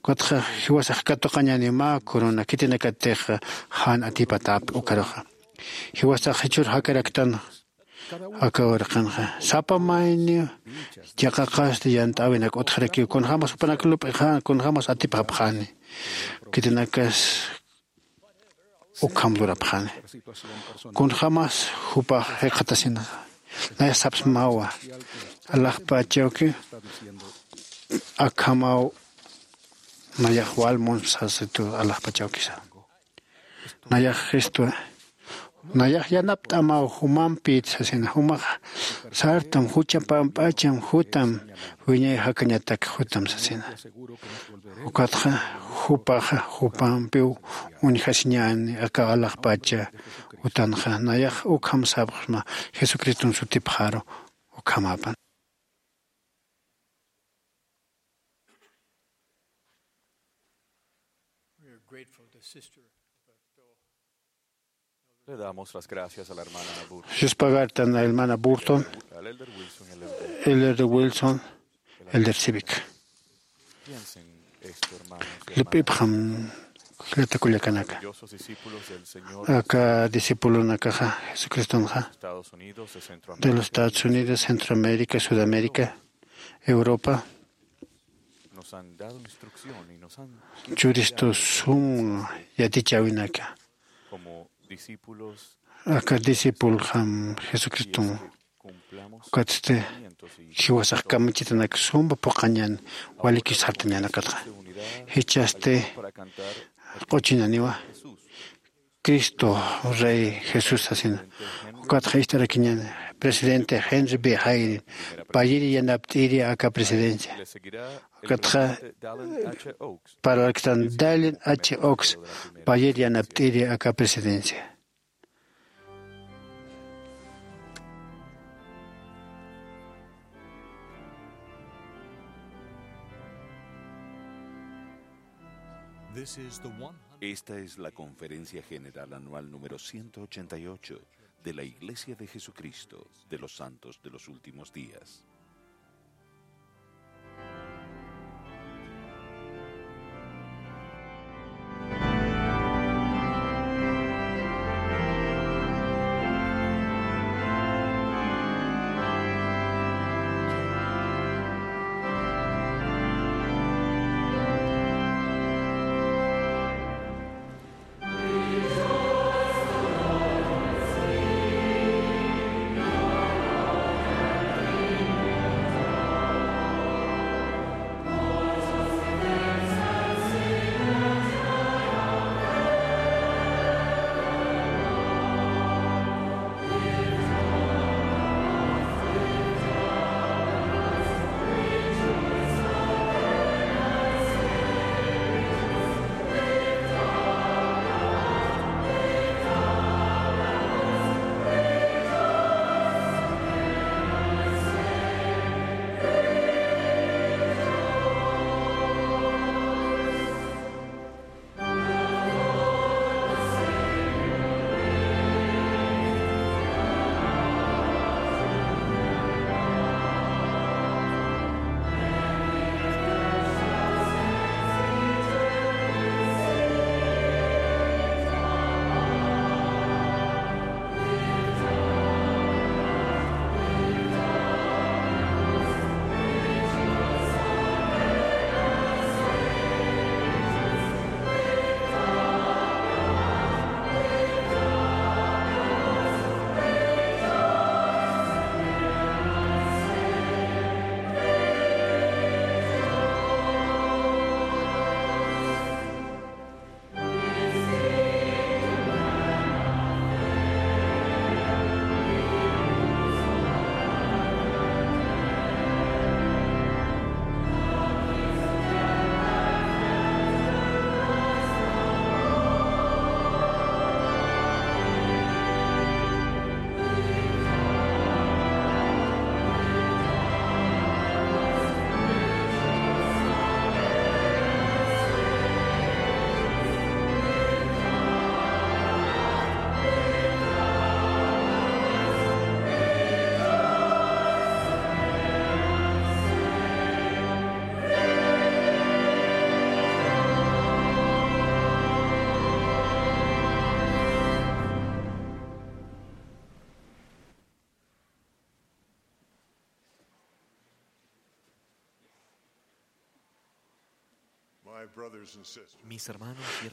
Ukatxa jiwasax katuqañäni mä corona, khitinakatixa jan atipatäpxi ukaruxa. Jiwasax jichhür jakaraktan aka uraqinxa. Sapa mayniw yaqaqasti yant'äwinak utjarakiw, kunjämas jupanak lup'ixa, kunjämas atipxapxani. Khitinakas ukham lurapxani. Kunjämas jupax jikxatasina. Nayax sapsmawa. Alaxpachawki akhamaw nayax wal munsasitu alaxpachawkisa. Nayax Cristo, nayax yanapt'amaw jumampït sasina, jumax sartam, jucha pamp'acham, jutam, wiñay jakañatak jutam sasina. Ukatxa jupaxa jupampiw uñjasiñäni aka alaxpacha utanxa, nayax ukham sapxsma Jesucriston sutipxaru ukhamapan. We are grateful to Sister Roberto. Le damos las gracias a la hermana Burton, Yuspagartan a hermana Burton, al elder Wilson, el elder, el elder Wilson, el elder Civic. Piensen esto, hermanos y hermanas. Lup'ipxam, jilata kullakanaka. Maravillosos discípulos del Señor. Aka discipulonakaxa Jesucristonxa, Estados Unidos, de Centroamérica, de los Estados Unidos, Centroamérica, Sudamérica, Europa, nos han dado instrucción y nos han churistu sum yatichäwinaka. Como discípulos, aka discipuljam Jesucriston, cumplamos ukatsti mandamientos y jiwasax kamachitanak sumpa phuqhañän, waliki sartañänakatxa. Jichhasti para cantar q'uchinaniwa. Cristo Rey Jesús sasina. Ukatxa ist'arakiñäni presidente Henry B. Eyring, payir yanapt'iri aka presidencia. Ukatxa parlaktan Dallin H. Oaks, payir yanapt'iri aka presidencia. This is the one hundred Esta es la Conferencia General Anual número ciento ochenta y ocho de la Iglesia de Jesucristo de los Santos de los Últimos Días.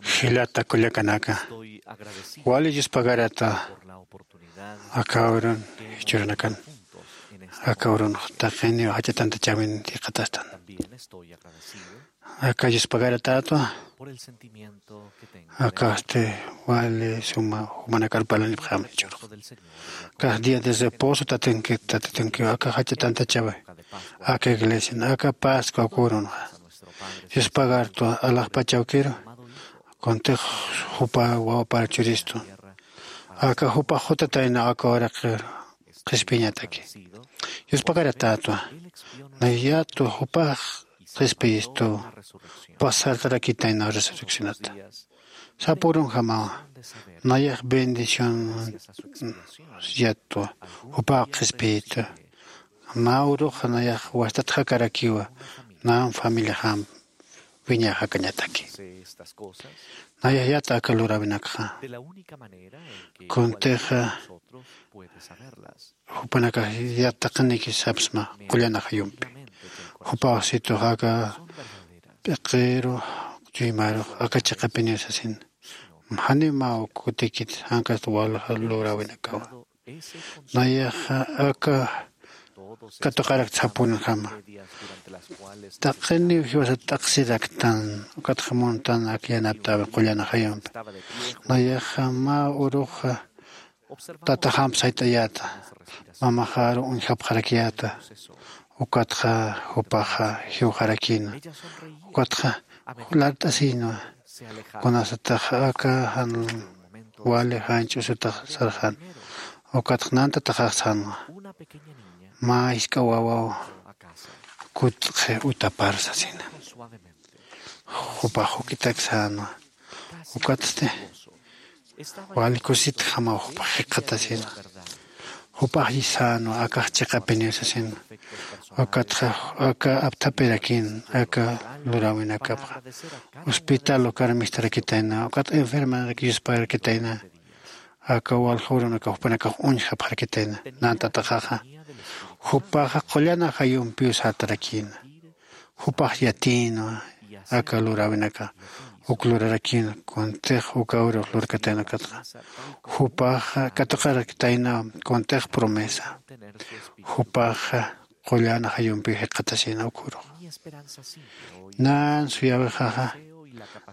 Jilata kullakanaka, wali Dios pagarata. Aka urun jichhürunakan, aka urun taqiniw jach'a tantachäwin jikxatastan. Aka Dios pagaratätwa. Aka este wali suma jumanakar parlanipxäma jichhürux. Aka día de reposo tatinkit tatitinkiw aka jach'a tantachäwi, aka iglesian aka pascua aka urunxa Dios pagartwa alaxpach awkiru. Kuntix jupa wawapar churistu, aka jupax jutataynaw aka uraqir qhispiñataki. Dios pagaratätwa, nayatwa jupax qhispiyistu, jupax sartarakitaynaw resurreccionata. Sapürunjamawa, nayax bendición yatwa jupax qhispiyitu. Mä uruxa nayax wastat jakarakiwa, nan familiaxam wiñay jakañataki. Nayax yata aka luräwinakxa, kuntixa jupanakax yat taqiniki sapsma qullan ajayumpi. Jupax situx aka p'iqiru chuymarux aka chiqapiniw sasin, janiw mä uk kutikit jankast walja luräwinakawa. Nayaxa aka katuqarakta sapünjama, taqiniw jiwasat t'aqsiraktan ukatxa muntan ak yanaptäwi qullan ajayumpi. Nayaxa mä uruxa tataxamp sayt'ayäta, mamaxaru uñjapxarakiyäta. Ukatxa jupaxa jiwxarakïna, ukatxa lart'asïnwa. Kunasatax aka jan wali janch'usutax sarxän, ukatxa nantataxax sänwa, mä jisk'a wawaw kutxi utapar sasina. Jupax juk'itak sänwa. Ukatsti wali kusitjamaw jupax jikxatasina. Jupax sänwa akax chiqapiniw sasina. Ukatxa aka apthapirakïn aka luräwinakapxa hospital ukar mistarakitayna, ukat enfermanarak yusparakitayna. Aka walja urunakax jupanakax uñjapxarakitayna. Nantataxaxa jupaxa qullan ajayumpiw sartarakïna. Jupax yatïnwa aka luräwinaka, uk lurarakïna kuntix uka urux lurkatayna ukatxa. Jupaxa katuqarakitaynaw kuntix promesa. Jupaxa qullan ajayumpiw jikxatasïna uk urux. Nan suyäwixaxa,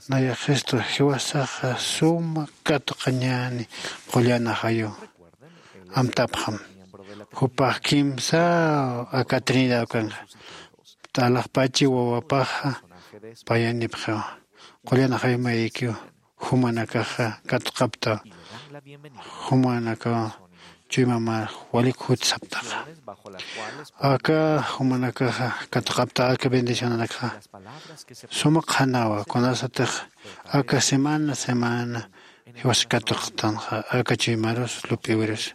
nayaxistu jiwasaxa suma katuqañäni qullan ajayu amtapxam. Jupax kimsa aka trinidad ukanxa, alaxpachi wawapaxa payanipxiwa. Qullan ajayumayikiw jumanakaxa katuqapta, jumanakaw chuymamar walik jut saptaxa. Aka jumanakaxa katuqapta aka bendicionanakxa suma qhanawa kunasatix aka semana semana jiwas katuqtanxa aka chuymarus lup'iwirus.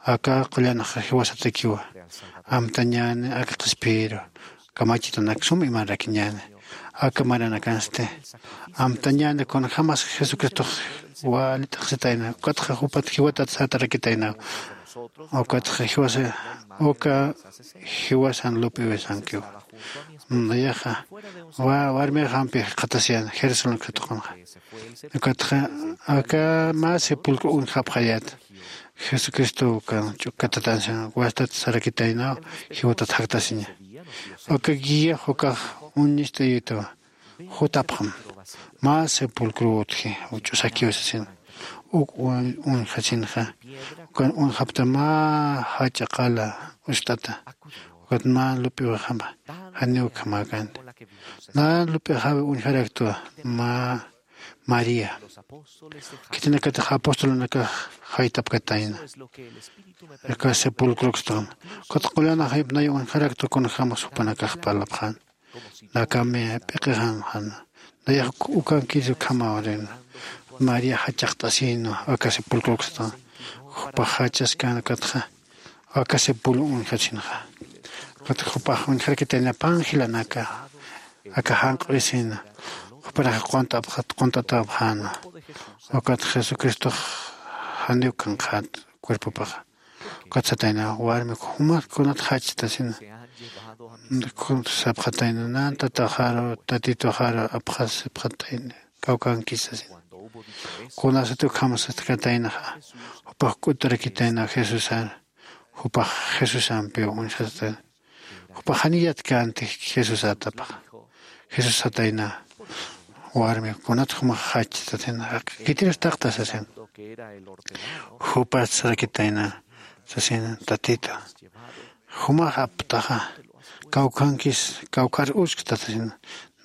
Aka qullanxa jiwasatakiwa amtañäni aka qhispiyiru kamachitanak sum imararakiñäni. Aka maranakansti amtañäni kunjämas jesucristox wali t'aqsitayna ukatxa jupat jiwatat sartarakitaynaw. Ukatxa jiwasa uka jiwasan lup'iwisankiw. Nayaxa warmixampi jikxatasiyäna jerusalén katuqunxa. Ukatxa aka mä sepulcro uñjapxayät jesucristo ukan ch'ukkatatansina wastat sarakitaynaw jiwatat jaktasiña. Uka guiax ukax uñist'ayituwa jutapxam mä sepulcro utji ch'usakiw sasina. Uk uñjasinxa ukan uñjapta mä jach'a qala ust'ata. Ukat mä lup'iwixama janiw ukhamäkänti. Nan lup'ixawi uñjaraktwa mä maría. Khitinakatix apostolunakax jaytapkatayna aka sepulcrokstan. Ukat qullan ajayump nay uñjaraktwa kunjämas jupanakax parlapxän. Nakami p'iqixanxan nayax ukankis ukhamaw rin. María jachaqt'asïnwa aka sepulcrokstan. Jupax jach'askän ukatxa aka sepulcro uñjasinxa. Ukatxa jupax uñjarakitayna panjilanaka aka janq'urisïna. Jupanakax qunt'apxat qunt'atäpxänwa. Ukat jesucristox janiw kanqxät cuerpopaxa. Ukat satayna warmik jumat kunat jachtasina. Sapxatayna nan tataxaru tatituxaru apxasipxatayna kawkankis sasin. Kunasat ukhamasatxataynaxa jupax k'uturakitayna jesusar jupax jesusampiw uñjasatayna. Jupax janiyat kanti jesusatapxa. Jesús satayna warmi kunat jumax jachtatin jaqi kitirus taqta sasin. Jupas sarakitayna sasin tatita jumax aptaxa kawkhankis kawkhar uskta sasin.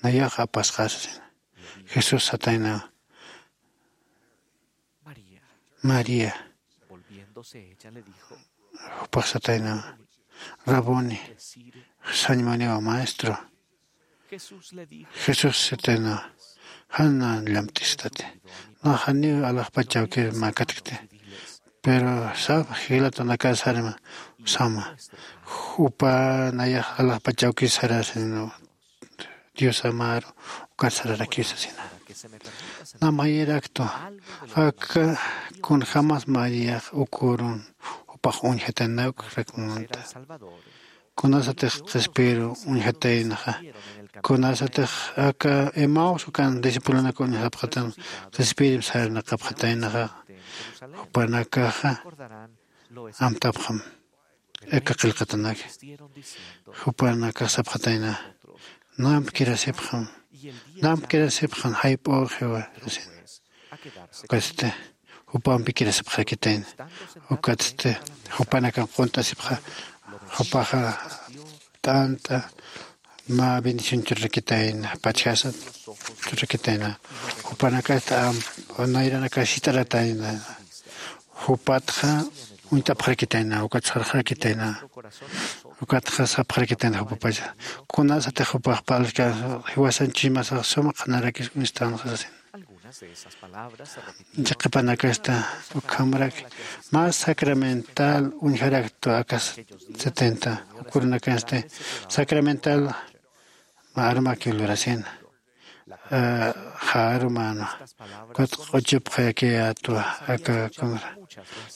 Nayax apasqa sasin. Jesús satayna maría. Jupax satayna rabuni sañmaniwa maestro. Jesús sitayna jan na llamt'istati. Naxaniw alaxpachawkir makatkti. Pero sap jilatanakasarima sama jupa nayax alaxpachawkir sarasinu. Diosamaru ukat sararakisasina. Namayiraktu aka kunjamas mariyax ukurun jupax uñjatanauk rakmunta. Kunasatix qhispiru uñjataynaxa kunasatix aka emaus ukan discipulonak uñjapxatan qhispirim sarnaqapxataynaxa. Jupanakaxa amtapxam aka qillqatanaka. Jupanakax sapxatayna namp kirasipxam. Namp kirasipxam jayp'uxiwa sasin. Ukatsti jupampi kirasipxarakitayna. Ukatsti jupanakan qunt'asipxa jupaxa t'ant'a mä bendición churrakitayna pachjasat churrakitayna. Jupanakasta am nayranakas jit'aratayna. Jupatxa uñt'apxarakitayna ukat sarxarakitayna. Ukatxa sapxarakitayna jupapacha kunasatix jupax parlka jiwasan chuymasax suma qhanarakis uñstanxa sasin. Chiqipanakasta ukhamrak mas sacramental uñjaraktu akas setenta ukurunakasti sacramental mä arumakiw lurasina. Jarumana ukat q'uchupxayakiyätwa aka kunra.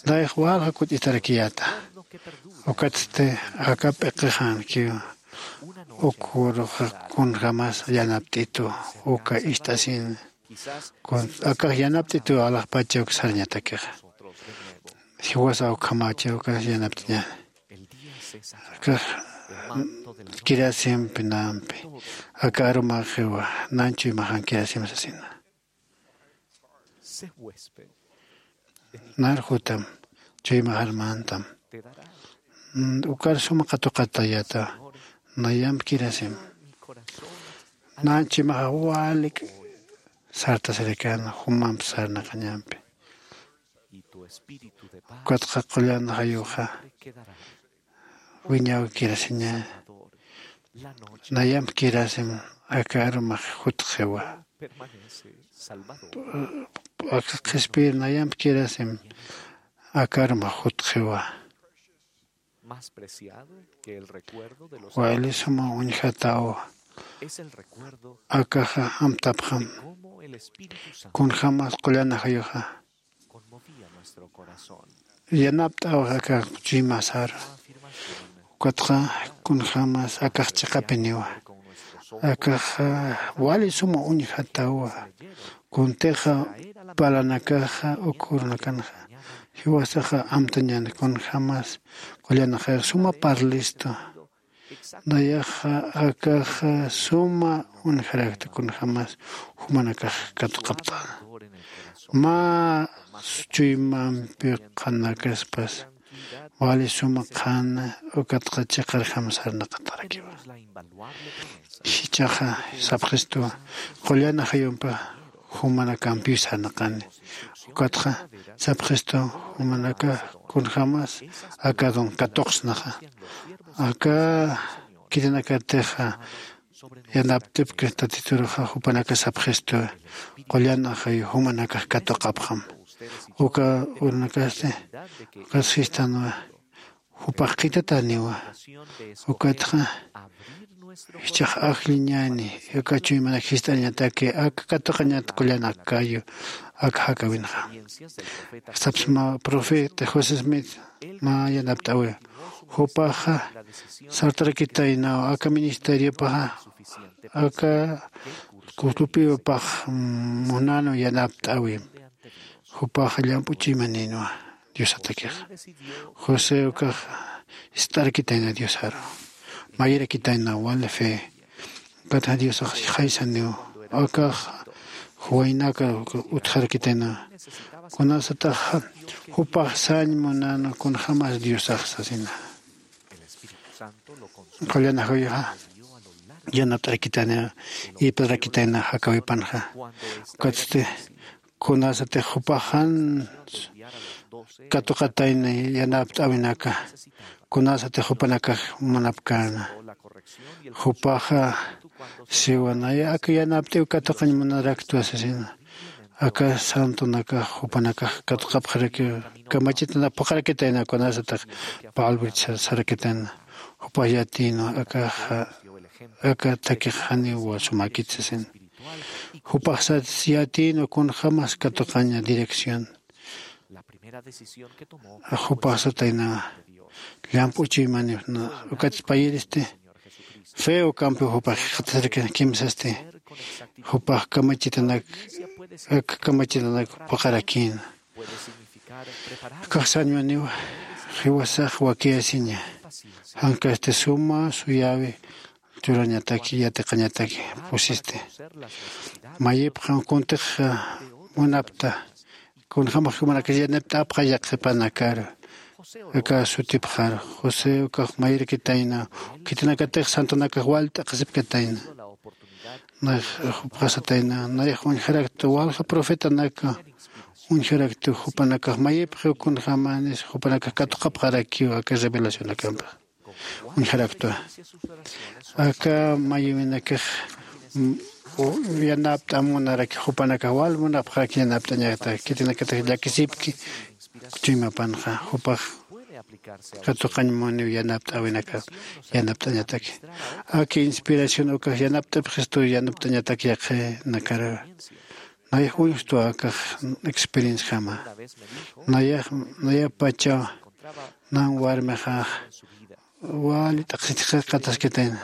Dayx walja kut'itarakiyäta. Ukatsti aka p'iqixankiw uk uruxa kunjamas yanapt'itu uka ist'asin. Akax yanapt'itu alaxpacha uk sarñatakixa jiwasa ukhamacha ukax yanapt'iñani. Akax kirasimpi nampi aka arumaxiwa nanchu imaxan kirasim sasina. Narjutam chuymaxarmantam ukar suma qatuqatayata. Nayamp kirasim nanchu imaxa walik sartasirikan jumamp sarnaqañampi. Ukatxa qullan jayuxa wiñaw kirasiña. Nayamp kirasim aka arumax jutxiwa. Aka qhispir nayamp kirasim aka arumax jutxiwa. Wali suma uñjataw. Akaxa amtapxam kunjämas qullan ajayuxa yanapt'awax aka chuymasar. Ukatxa kunjämas akax chiqapiniwa. Akaxa wali suma uñjatawa. Kuntixa parlanakaxa uk urunakanxa jiwasaxa amtañan kunjämas qullan ajayux suma parlistu. Nayaxa akaxa suma uñjarakta kunjämas jumanakax katuqapt'ana. Mä chuymampi qhanakaspas wali suma qhana ukatxa chiqarjam sarnaqatarakiwa. Jichhaxa sapxistuwa qullan ajayumpi jumanakampiw sarnaqani. Ukatxa sapxistuwa jumanakax kunjämas aka don katuqsnaxa. Aka khitinakatixa yanapt'ipki tatituruxa jupanakax sapxistuwa qullan ajayu jumanakax katuqapxam. Uka urunakasti ukas jistanwa jupax qhitataniwa. Ukatxa jichhax ajlliñani aka chuymanak jist'añataki aka katuqañat qullan akayu aka jakäwinxa. Sapsma profeta josé smith mä yanapt'äwi. Jupaxa sartarakitaynaw aka ministeriopaxa aka kutupiwapax munanw yanapt'äwim. Jupaxa llamp'u chuymaninwa diosatakixa. José ukax ist'arakitayna diosaru, mayirakitayna wali fe. Ukatxa diosax jaysaniw akax juwaynaka utjarakitayna. Kunasataxa jupax sañ munana kunjämas diosax sasina. Qullan ajayuxa yanapt'arakitayna, ipt'arakitayna jakawipanxa. Ukatsti kunasatix jupax jan katuqatayna yanapt'äwinaka, kunasatix jupanakax munapkäna. Jupaxa siwa naya aka yanapt'äw katuqañ munaraktwa sasina. Aka santonakax jupanakax katuqapxarakiw, kamachitanakax phuqharakitayna kunasatix palbritsa sarakitayna. Jupax yatïnwa akaxa aka takix janiw sumäkit sasina. Jupax sat yatïnwa kunjämas katuqaña dirección. Jupax satayna llamp'u chuymani ukat payiristi feo campo jupax jikxatasirkina kimsasti. Jupax kamachitanak aka kamachitanak phuqharakïna. Akax sañwaniw jiwasax wakiyasiña. Jankasti suma suyäwi churañataki yatiqañataki pusisti. Mayipxa kuntix munapta kunjämax jumanakax yanapt'apxa yaqhipanakaru. Aka sutipxaru josé ukax mayirakitayna. Khitinakatix santonakax wal t'aqhisipkatayna. Nayax jupxasatayna nayax uñjaraktu walja profetanaka uñjaraktu jupanakax mayipxiw kunjämanis jupanakax katuqapxarakiw aka revelacionakampix. Uñjaraktwa aka mayïwinakax yanapt'am munaraki jupanakax wal munapxaraki yanapt'añataki khitinakatix llakisipki. Chuymapanxa jupax katuqañ muniw yanapt'äwinakax yanapt'añataki. Aki inspiración ukax yanapt'apxistu yanapt'añatak yaqhinakarawi. Nayax uñjtwa akax experienciajama. Nayax nayapachaw nan warmixax wali t'aqsitix qataskitayna.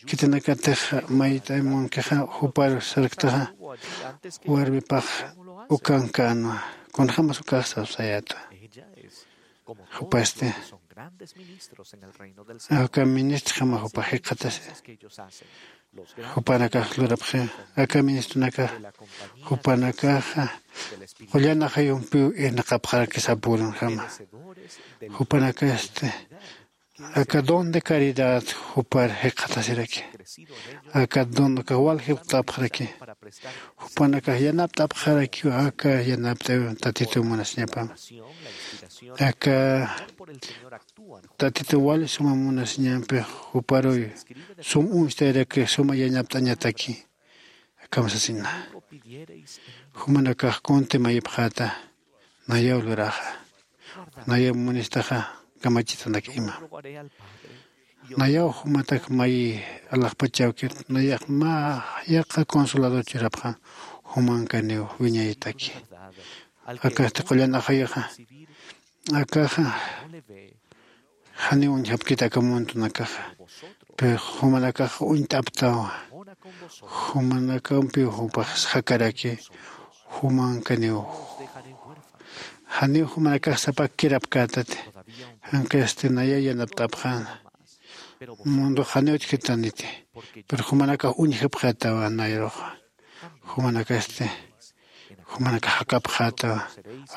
Khitinakatix mayt'ay munkixa jupar sarktaxa warmipax ukankänwa. Kunjämas ukax sapsayätwa. Jupasti aka ministrjama jupax jikxatasi. Jupanakax lurapxi aka ministronakax jupanakaxa qullan ajayumpiw irnaqapxaraki sapürunjama. Jupanakasti aka don de caridad jupar jikxatasiraki. Aka don ukax wal jikxatapxaraki. Jupanakax yanapt'apxarakiw aka yanapt'aw tatituw munasiñapam. Aka tatituw wali suma munasiñampix juparuy sum uñstayarakix suma yañapt'añataki. Akham sasina jumanakax kunti mayipxäta. Nayaw luraxa nayaw munistaxa kamachitanak ima. Nayaw jumatak mayi alaxpachawkit nayax mä yaqha consolador churapxam. Jumankaniw wiñaytaki akasti qullan ajayuxa akaxa janiw uñjapkit aka muntunakaxa. Pero jumanakax uñt'aptawa jumanakampiw jupax jakaraki. Jumankaniw janiw jumanakax sapakkirapkätati. Jankasti nayaw yanapt'apxäna. Mundox janiw utjkitaniti pero jumanakax uñjapxätawa nayruxa. Jumanakasti jumanakax jakapxätawa.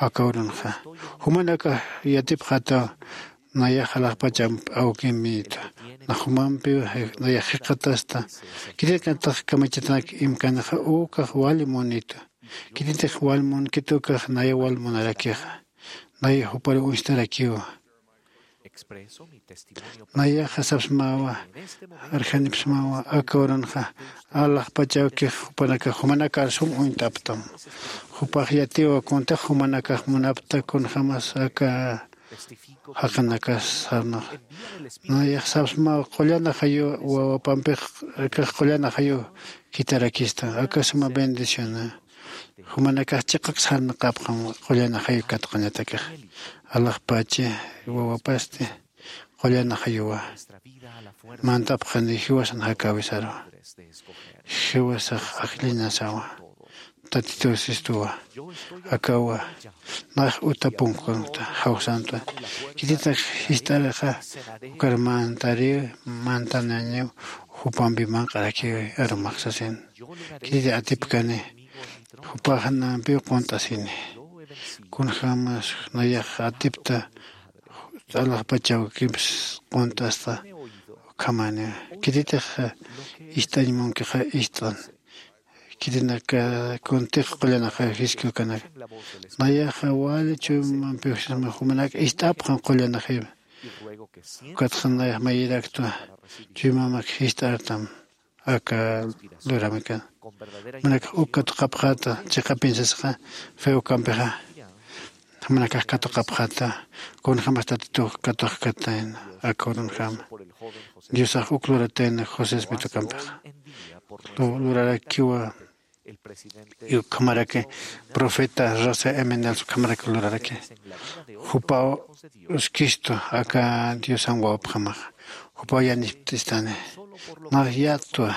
Aka urunxa jumanakax yatipxätawa. Nayax alaxpachamp awkimïta. Nax jumampiw nayax jikxatasta. Khitinakatix kamachitanak imkanixa ukax wali munitu. Khitintix wal munkit ukax nayaw wal munarakixa. Nayax juparuw uñstarakiwa. Nayaxa sapsmawa arjanipsmawa aka urunxa alaxpachawkix jupanakax jumanakar sum uñt'aptam. Jupax yatiwa kuntix jumanakax munapta kunjämas aka jaqinakas sarnaxa. Nayax sapsmawa qullan ajayu wawapampix akax qullan ajayu jitarakista aka suma bendiciona. Jumanakax chiqak sarnaqapxam qullan ajayu katuqañatakix. Alaxpachi wawapasti qullan ajayuwa. Mantapxani jiwasan jakäwisarwa. Jiwasax ajlliñasawa. Tatitusistuwa. Akawa nax utapunkunkta jawsantwa. Khititak jist'araxa ukar mantariw, mantanañiw jupampi manq'arakiw arumax sasin. Khititi atipkani jupaxanampiw qunt'asini. Kunjämas nayax atipta alaxpachaw kimps qunt'asta. Ukhamani khititix ist'añ munkixa ist'an. Khitinaka kuntix qullan ajayuw jisk'ukanaka nayaxa wali chuymampiw sisma jumanak ist'apxan qullan ajayuw. Ukatxa nayax mayiraktwa chuymamak jist'artam aka luramikana. Manakax uk katuqapxäta chiqapin sasxa feo kampixa. Manakax katuqapxäta kunjämas tatitux katuqkatayna aka urunjama. Diosax uk luratayna josé smitukampixa lurarakiwa. Ukhamaraki profeta rosa emenals ukhamaraki luraraki. Jupaw uskistu aka diosan wawapxamaxa jupaw yanipt'istani. Nax yatwa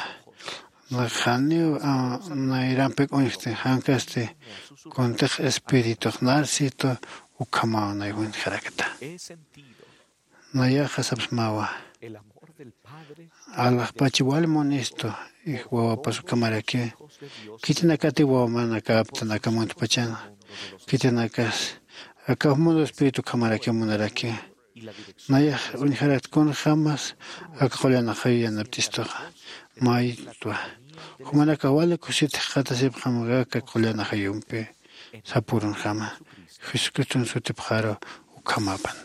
nax janiw nayrampik uñjti jankasti kuntix espiritux narsitu. Ukhamaw nay uñjarakta nayaxa sapsmawa. Alaxpachi wali munistu wawapas ukhamaraki. Khitinakati wawamanakäptan aka muntpachan khitinakas aka mundo espíritu ukhamaraki munaraki. Nayax uñjarakt kunjämas aka qullan ajayu yanapt'istuxa maytwa. Jumanakax wali kusit jikxatasipxam aka qullan ajayumpi sapürunjama jesucriston sutipxaru. Ukhamapan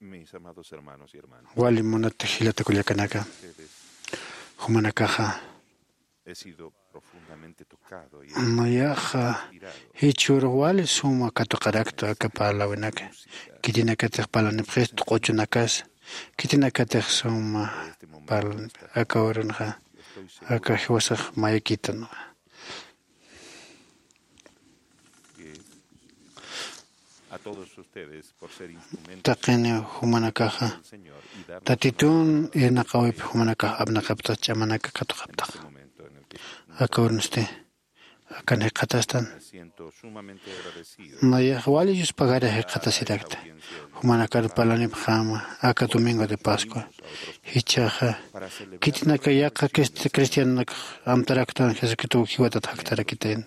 Mis amados hermanos y hermanas, wali munat jilata kullakanaka, ustedes, jumanakaxa he sido profundamente tocado y nayaxa jichhürux wali suma katuqarakta aka parlawinaka. Khitinakatix parlanipxist q'uchunakas khitinakatix suma parlanipx aka urunxa aka jiwasax mayakitanwa. Taqini jumanakaxa tatitun irnaqawip jumanakax apnaqaptax ch'amanaka katuqaptax. Aka urunsti akan jikxatastan. Nayax wali yuspagara jikxatasirakta. Jumanakar parlanipxäma aka domingo de pascua jichhaxa khitinaka yaqha cristianonakax amtaraktan jesucristow jiwatat jaktarakitayna.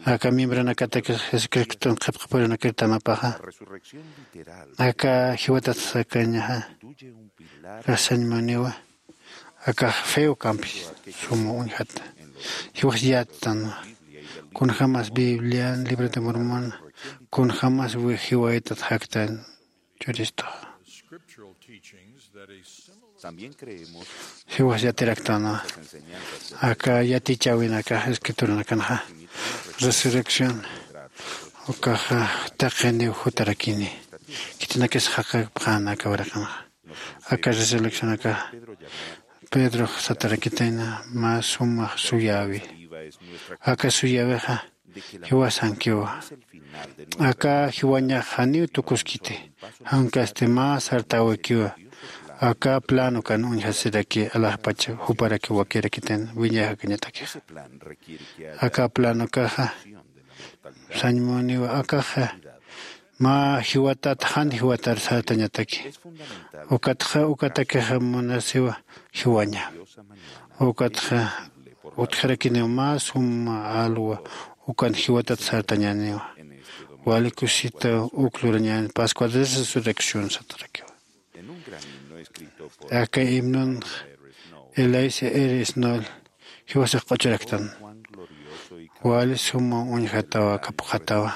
Aka miembronakatakix jesucriston qhipqapurunakir tamapaxa aka jiwatat sakañaxa. Kasañmuniwa akax feo kampi suma uñjata. Jiwas yattanwa kunjämas biblian libro de mormon kunjämas jiwayatat jaktan. Churistuxa jiwas yatiraktanwa. Aka yatichäwinakax escrituranakanxa resurrección ukaxa taqiniw jutarakini. Khitinakis jaqapxän aka uraqanxa aka resurrección aka pedrox satarakitayna mä sumax suyäwi. Aka suyäwixa jiwasankiwa. Aka jiwañax janiw tukuskiti jankasti mä sartäwikiwa. Aka planokan uñjasiraki alaxpach juparaki wakirakitan wiñay jakañatakixa. Aka planokaxa sañmuniwa akaxa mä jiwatat jan jiwatar sartañataki. Ukatxa ukatakixa munasiwa jiwaña. Ukatxa utjarakiniw mä suma alwa ukan jiwatat sartañäniwa. Wali kusita uk lurañän pascua de resurrección satarakiwa. Aka himnunx elais eresnol jiwasax q'uchuraktan. Wali suma uñjatawa aka puqatawa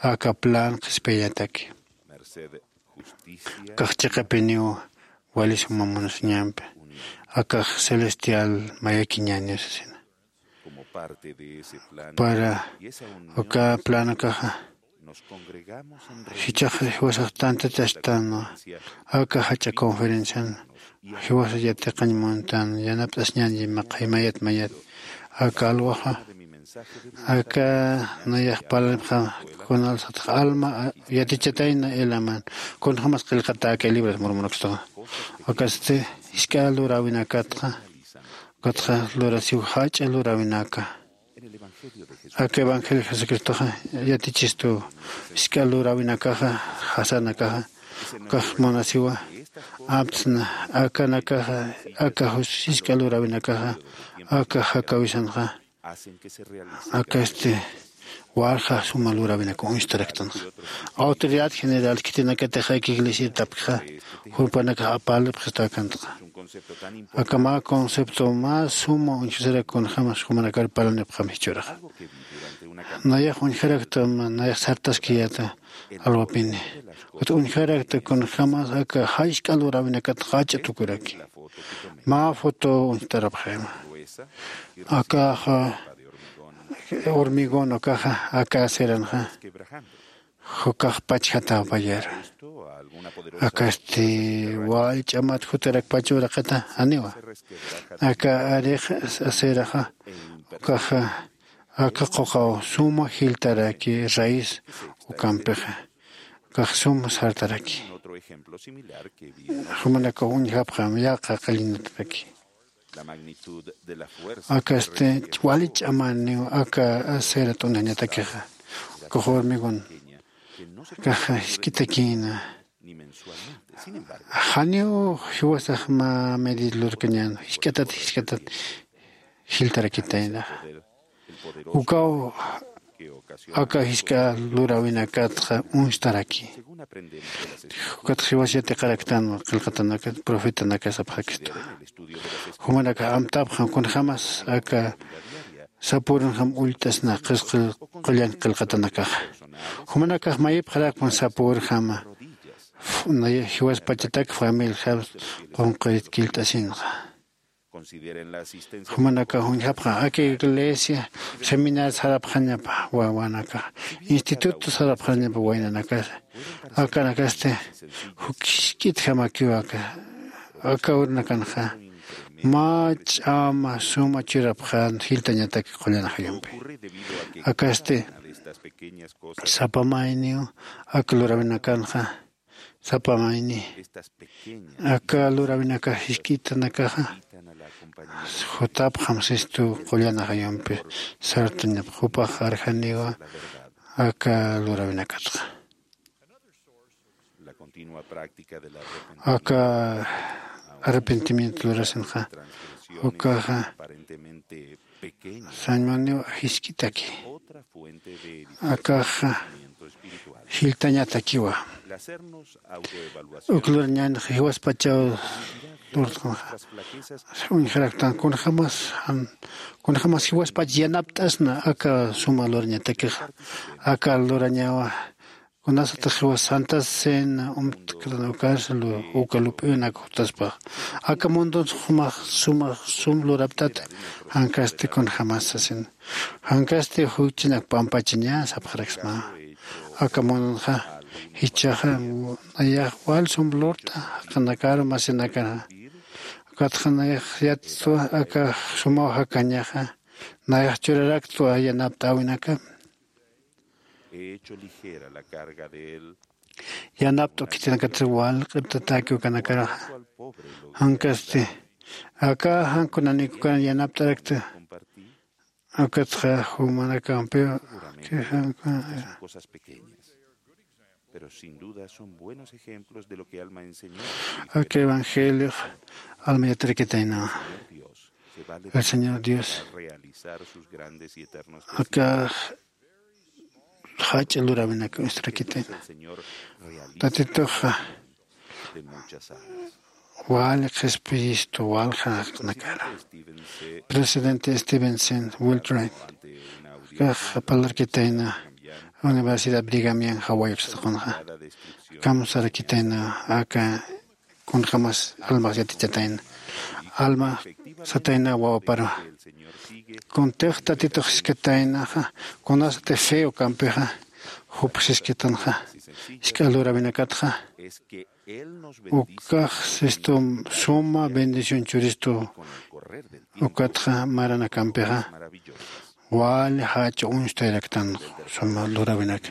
aka plan qhispiyañataki. Akax chiqapiniw wali suma munasiñampi akax celestial mayakiñäniw sasina. Para uka planokaxa Jichhax jiwasax tantatastänwa aka jach'a conferencian jiwasa yatiqañ muntan yanapt'asñan yimaqay mayat mayat. Aka alwaxa aka nayax parlanipxa kunal satax alma yatichatayna elaman kunjämas qillqatäkay libras murmunakstaxa. Akasti jisk'a luräwinakatxa ukatxa lurasiw jach'a luräwinaka aka evangelio jesucristoxa yatichistu jisk'a luräwinakaxa jasanakaxa ukax munasiwa aptsna akanakaxa aka jus jisk'a luräwinakaxa aka jakawisanxa akasti walja suma luräwinaka uñstaraktanxa. Autoridad general khitinakatix aka iglesiar tapkixa jurpanakax parlipxistäkäntaxa. Aka mä concepto mä suma uñjasirak kunjämas jumanakar parlanipxam jichhüraxa nayax uñjaraktam nayax sartaskiyäta alwapini ukat uñjarakta kunjämas aka jachk'a luräwinakat jach'a tukuraki. Mä foto uñjtarapxayma akaxa hormigón ukaxa aka aceranxa jukax pachjatäpayar akasti wal ch'amat jutarakpach uraqita janiwa aka arix aceraxa ukaxa aka quqaw suma jiltaraki raíz ukampixa ukax suma sartaraki jumanakaw uñjapxam yaqha qallinatataki akasti wali ch'amaniw aka acera t'unañatakixa ukax hormigón akaxa jisk'itakïna janiw jiwasax mä medida lurkañän jisk'atat jisk'atat jiltarakitaynaxa ukaw aka jisk'a luräwinakatxa uñstaraki ukatxa jiwas yatiqaraktan qillqatanakat profetanakas apxakistu jumanakax amtapxam kunjämas aka sapürinjam ullt'asna qillqatanakaxa jumanakax mayipxarakpan sapürjama jiwaspachatak familijam qunqit killt'asinxa jumanakax uñjapxam aka iglesia seminario sarapxañapa wawanakax instituto sarapxañapa waynanakasa akanakasti jukhisk'itjamakiw aka aka urnakanxa mä ch'ama suma churapxän jiltañatak qullan ajayumpi akasti sapa mayniw aka luräwinakanxa sapa mayni aka luräwinakax jisk'itanakaxa jutapxam sistu qullan ajayumpi sartañap jupax arjaniwa aka luräwinakatxa aka arrepentimiento lurasinxa ukaxa sañmaniw jisk'itaki akaxa jiltañatakiwa uk lurañänxa jiwaspachaw lurt'anxa uñjaraktan kunjämas kunjämas jiwaspach yanapt'asna aka suma lurañatakixa aka lurañawa kunasatix jiwas santa cena umtktan ukarsa uka lup'unak jutaspax aka mundun jumax sumax sum luraptata jankasti kunjämas sasin jankasti juchinak pampachiñä sapxaraksma aka mundunxa jichhaxa nayax wal sum lurt'a jaqinakar masinakar ukatxa nayax yattwa aka sumaw jakañaxa nayax churaraktwa yanapt'äwinaka yanapt'u khitinakatsa walq'irtatäki ukanakaraxa jankasti aka jan kunanïkukaran yanapt'arakta ukatxa jumanakampiw aka evangeliox alma yatirakitaynawa el señor dios aka jach'a luräwinaka uñstarakitayna tatituxa wali qhispiyistu waljanakara presidente stevenson wiltrain kax parlarkitayna universidad brigamian jawayuksataqunxa kamsarakitayna aka kunjämas almax yatichatayna alma satayna wawaparu kuntix tatitux jiskataynaxa kunasati feo kampixa Jupsiskitanxa isk'a lurawinakatxa ukax sistum suma bendición churistu. Ukatxa maranakampixa wali jach'a uñstayraktan suma lurawinaka.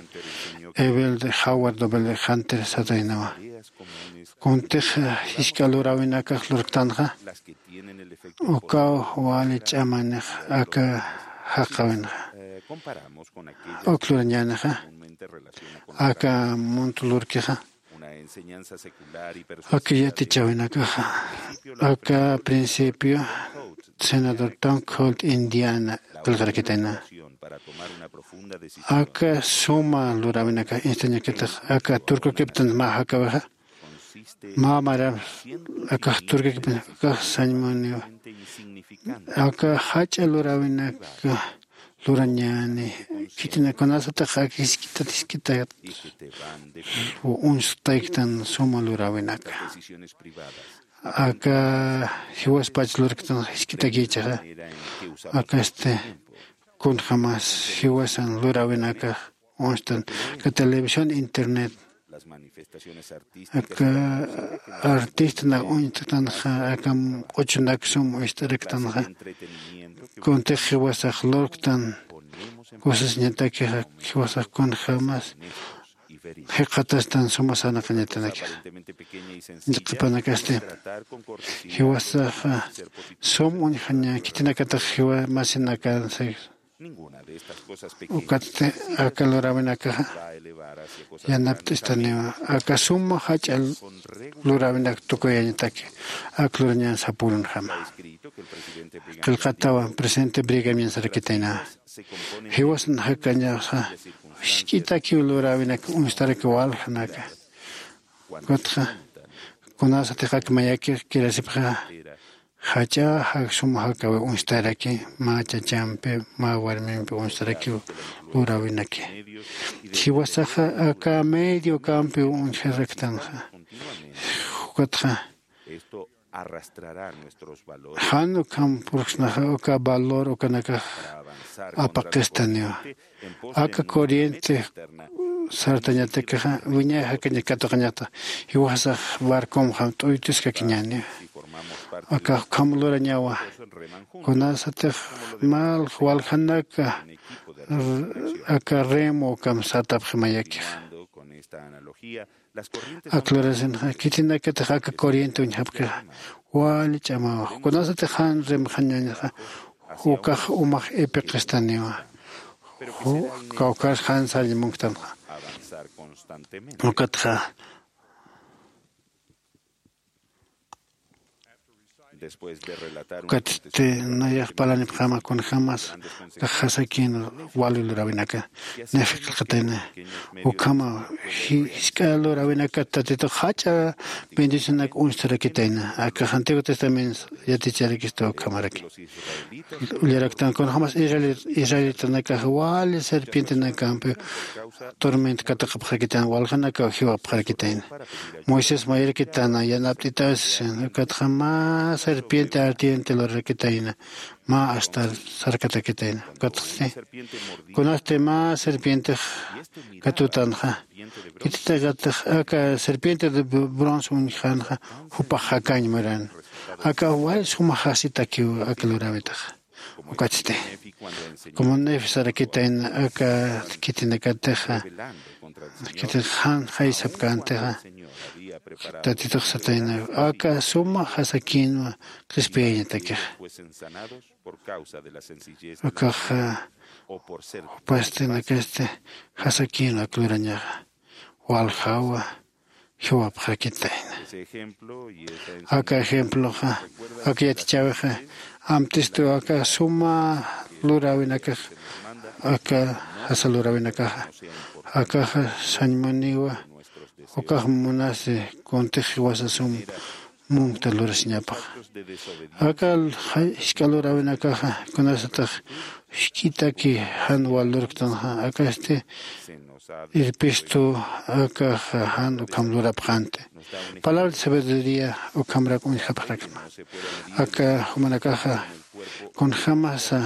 Evel de howard doble hunter sataynawa. Kuntix jisk'a lurawinakax lurktanxa ukaw wali ch'amanix aka jaqawinxa. Uk lurañänixa aka munt lurkixa aka yatichäwinakaxa aka principio senador tom colt indiana qillqarakitayna. Aka suma luräwinaka instañakitix aka turkukiptan mä jakawixa mä mara akax turkukiptan akax sañmuniwa. Aka jach'a luräwinaka lurañäni khitina kunasatix aka jisk'itat jisk'itat uñstayktan suma luräwinaka aka jiwaspach lurktan jisk'itakïchaxa akasti kunjämas jiwasan luräwinakax uñstan aka televisión internet aka artistanak uñt'tanxa aka q'uchunak sum uñst'araktanxa kuntix jiwasax lurktan kusasiñatakixa jiwasax kunjämas jikxatastan suma sarnaqañatanakixa. Qhipanakasti jiwasaxa sum uñjaña khitinakatix jiwa masinakansa ukatsti aka luräwinakaxa yanapt'istaniwa aka suma jach'a luräwinak tukuyañataki ak lurañan sapürunjama. Qillqatawa presidente brigamian sarakitayna jiwasan jakañaxa jisk'itakiw luräwinak uñstarakiw waljanaka. Ukatxa kunasatix ak mayakix kirasipxa jach'a suma jakawi uñstaraki mä chachampi mä warmimpi uñstarakiw luräwinaki jiwasaxa aka medio campiw uñjaraktanxa. Ukatxa jan ukham purksnaxa uka valor ukanakax apaqistaniwa aka corriente sartañatakixa wiñay jakaña katuqañata jiwasax barcomxa t'uytuskakiñäniwa. Aka ukham lurañawa kunasatix mal waljanaka aka remo ukham sartapxi mayakixa. Ak lurasinxa khitinakatix aka corriente uñjapkixa wali ch'amawa kunasatix jan rimxañañaxa ukax umax ipiqistaniwa. Kawkhar jan sarñ munktanxa ukatxa ukatsti nayax parlanipxama kunjämas kax jasakïn wali luräwinaka nayxa qillqatayna. Ukhama jisk'a luräwinakat tatitux jach'a bendicionak uñstarakitayna akax antiguo testamento yaticharakista ukhamaraki. Ullaraktan kunjämas israelitanakax wali serpientenakampi tormenta katuqapxarakitayna waljanakaw jiwapxarakitayna. Moisés mayarakitana yanapt'itasi ukatxa mä serpiente ardiente lurarakitayna mä astar sarkatakitayna. Ukatxsi kunasti mä serpientex katutanxa khitinakatix aka serpiente de bronce uñjanxa jupax jakañ muran. Aka wali suma jasitakiw aka luräwitaxa. Ukatsti como nefi sarakitayna aka khitinakatixa khitin jan jaysapkäntixa tatitux satayna aka suma jasakïnwa qhispiyañatakixa. Akaxa jupasti nakasti jasakïnwa ak lurañaxa waljawa jiwapxarakitayna. Aka ejemploxa aka yatichäwixa amtistu aka suma luräwinakax aka jasa luräwinakaxa akaxa sañmuniwa ukax munasi kuntix jiwasa sum munkta lurasiñapaxa. Aka jisk'a luräwinakaxa kunasatix jisk'itaki jan wal lurktanxa akasti irpistu akaxa jan ukham lurapxänti. Palabra de sabiduría ukhamrak uñjapxarakma. Aka jumanakaxa kunjämasa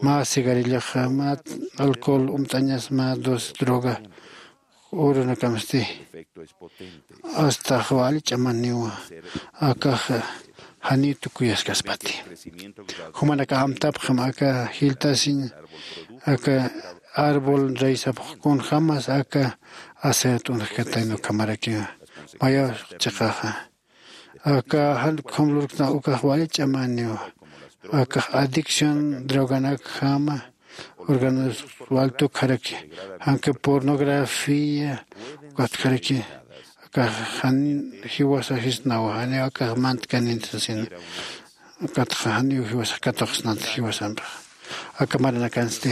mä cigarrilloxa, mä alcohol umt'añas, mä dos droga urunakamsti. Astax wali ch'amaniwa akax janiw tukuyaskaspati. Jumanaka amtapxam aka jiltasiñ aka árbol raysapx kunjämas aka acera t'unxkatayna ukhamarakiwa. Mayaw chiqaxa aka jan ukham lurkna ukax wali ch'amaniwa. Akax adicción droganakjama órganos wal tukjaraki, janka pornografía ukatjaraki. Akax jan jiwasa jisnawa, janiw akax mantkanin sasina. Ukatxa janiw jiwasax katuqsnat jiwasampixa. Aka maranakansti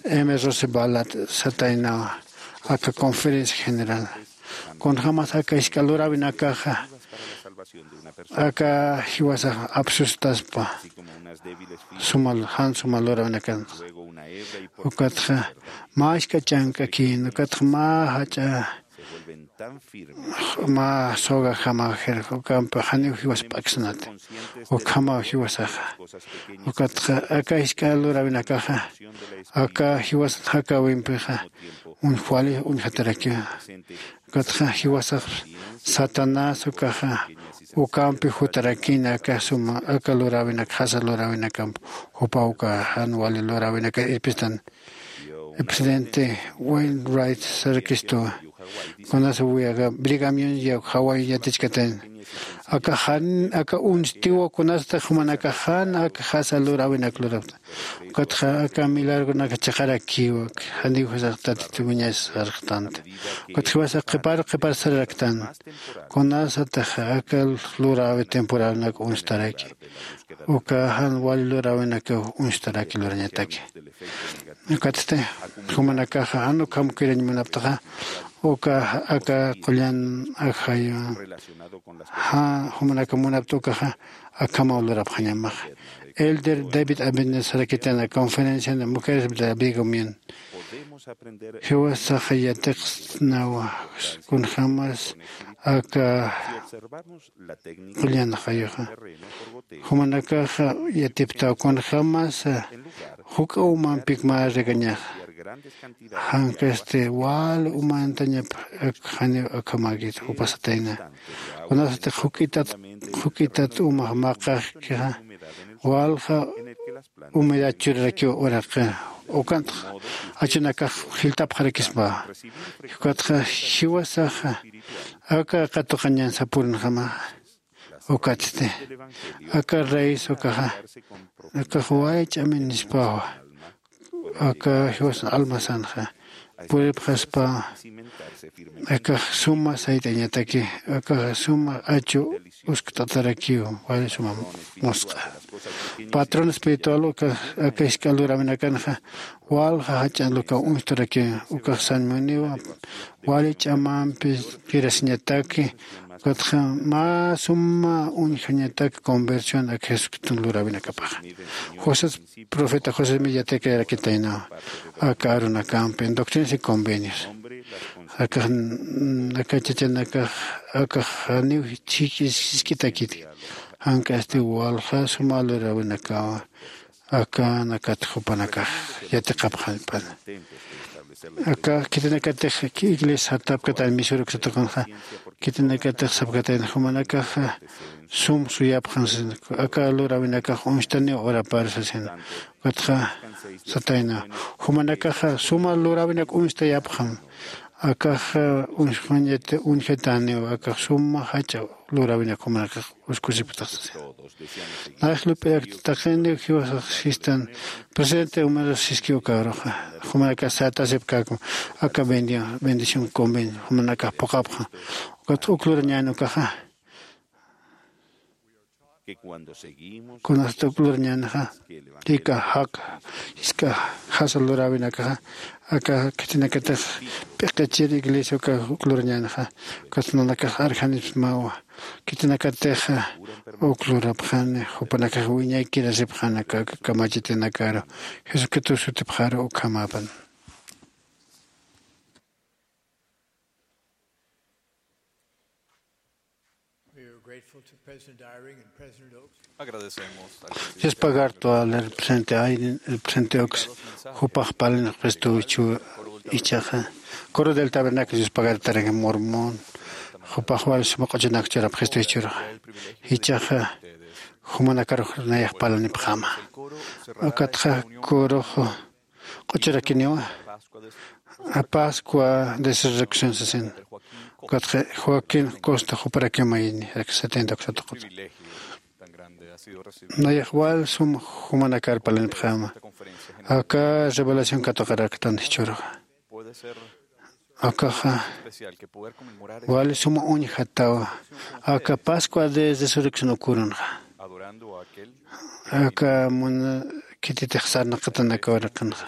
M. Roosevelt sataynawa aka conferencia general. Kunjämas aka jisk'a luräwinakaxa aka jiwasax apsustaspa suma, jan suma luräwinakanxa. Ukatxa mä jisk'a chank'akin, ukatxa mä jach'a mä sogajama jir ukampi janiw jiwas p'aksnat. Ukhamaw jiwasaxa. Ukatxa aka jisk'a luräwinakaxa aka jiwasan jakäwimpixa uñjwali uñjatarakiwa. Ukatxa jiwasax Satanás ukaxa ukampi jutarakina aka suma aka luräwinak jasa luräwinakamp jupaw uka jan wali luräwinaka irpistan. Presidente Wainwright sarakistuwa. Kunasa wiyaga Brigham Young ya Hawái yatichkatayna. Aka jan aka uñstiwa kunasta jumanaka jan aka jasa luräwinak lurapta. Ukatxa aka milagronak chiqarakiwa, janiw jusax Tatitu wiñas sarxtanta. Ukatxa jiwasax qhipar qhipar sararaktan. Kunasatax aka luräwi temporalnak uñstaraki. Uka jan wali luräwinakaw uñstaraki lurañataki. Ukatsti jumanakaxa jan ukham kirañ munaptaxa uka aka qullan ajayu ja jumanaka munapta ukaxa akhamaw lurapxañamaxa. Elder David Abner sarakitana conferencia de mujeres de Brigham Young. Jiwasaxa yatiqsnawa kunjämas aka qullan ajayuxa. Jumanakaxa yatiptaw kunjämas juk'a umampik mä regañaxa. Jankasti wal umantañap ak janiw akhamäkit jupasatayna. Kunasatix juk'itat juk'itat umax maqaxkixa walja humedad churarakiw uraqi. Ukantx achunakax jilltapxarakispa. Ukatxa jiwasaxa aka katuqañan sapurunjama. Ukatsti aka raíz ukaxa akax wali ch'aminispawa. Aka jiwasan almasanxa puripxaspa. Akax suma sayt'añataki. Akax suma achu uskt'atarakiw wali suma musq'a. Patrón espiritual uka aka jisk'a luräwinakanxa walja jach'a lukaw uñstarakiw. Ukax sañmuniwa wali ch'amampi kirasiñataki. Ukatxa mä suma uñjañataki conversión ak Jesucriston luräwinakapaxa. José profeta José Smith yatiqayarakitaynawa aka arunakampi Doctrinas y Convenios. Akax aka chachanakax akax janiw jisk'itakiti. Jank'asti walja suma luräwinakawa akanakat jupanakax yatiqapxañpana. Aka khitinakatix iglesia sartapkatan misuruk satakunxa khitinakatix sapkatayna jumanakaxa sum suyapxan sasina. Aka luräwinakax uñstaniw urapar sasina. Ukatxa satayna jumanakaxa suma luräwinak uñstayapxam. Akaxa uñjataniw akax suma jach'a luräwinak jumanakax uskusipktax sasina. Nax lup'irakta taqiniw jiwasax sistan presidente Humero siski ukaruxa jumanakax satasipkäkma aka bendición convenio jumanakax phuqhapxa. Ukatxa uk lurañän ukaxa kunasta uk lurañänxa ika jaka jisk'a jasa luräwinakaxa aka khitinakatix p'iqichir iglesia uka uk lurañänxa. Ukatxa nanakax arjanismawa khitinakatix uk lurapxani jupanakax wiñaykirasipxani aka kamachitinakaru jesucristo sutipxaru ukhamäpan. We are grateful to President Eyring and President Oaks for Agradecemos al Yuspagartu al represente Aiden, el presente Ox, jupax palin Cristo ichu ichaxa. Coro del Tabernáculo Yuspagartarak Mormón, jupax wal suma q'uchunak churap Cristo ichurxa. Ichaxa jumanakarux nayax palanipxama. Ukatxa corux q'uchurakiniwa. A Pascua de Resurrección sasin. Ukatxa Joaquín Costa juparakiw mayni, setenta uksatuqut. Nayax wal sum jumanakar palanipxama. Aka revelación katuqaraktan jichhürxa. Akaxa wali suma uñjatawa. Aka Pascua de Resurrección ukurunxa. Aka muna khititix sarnaqatanakaw riqinxa.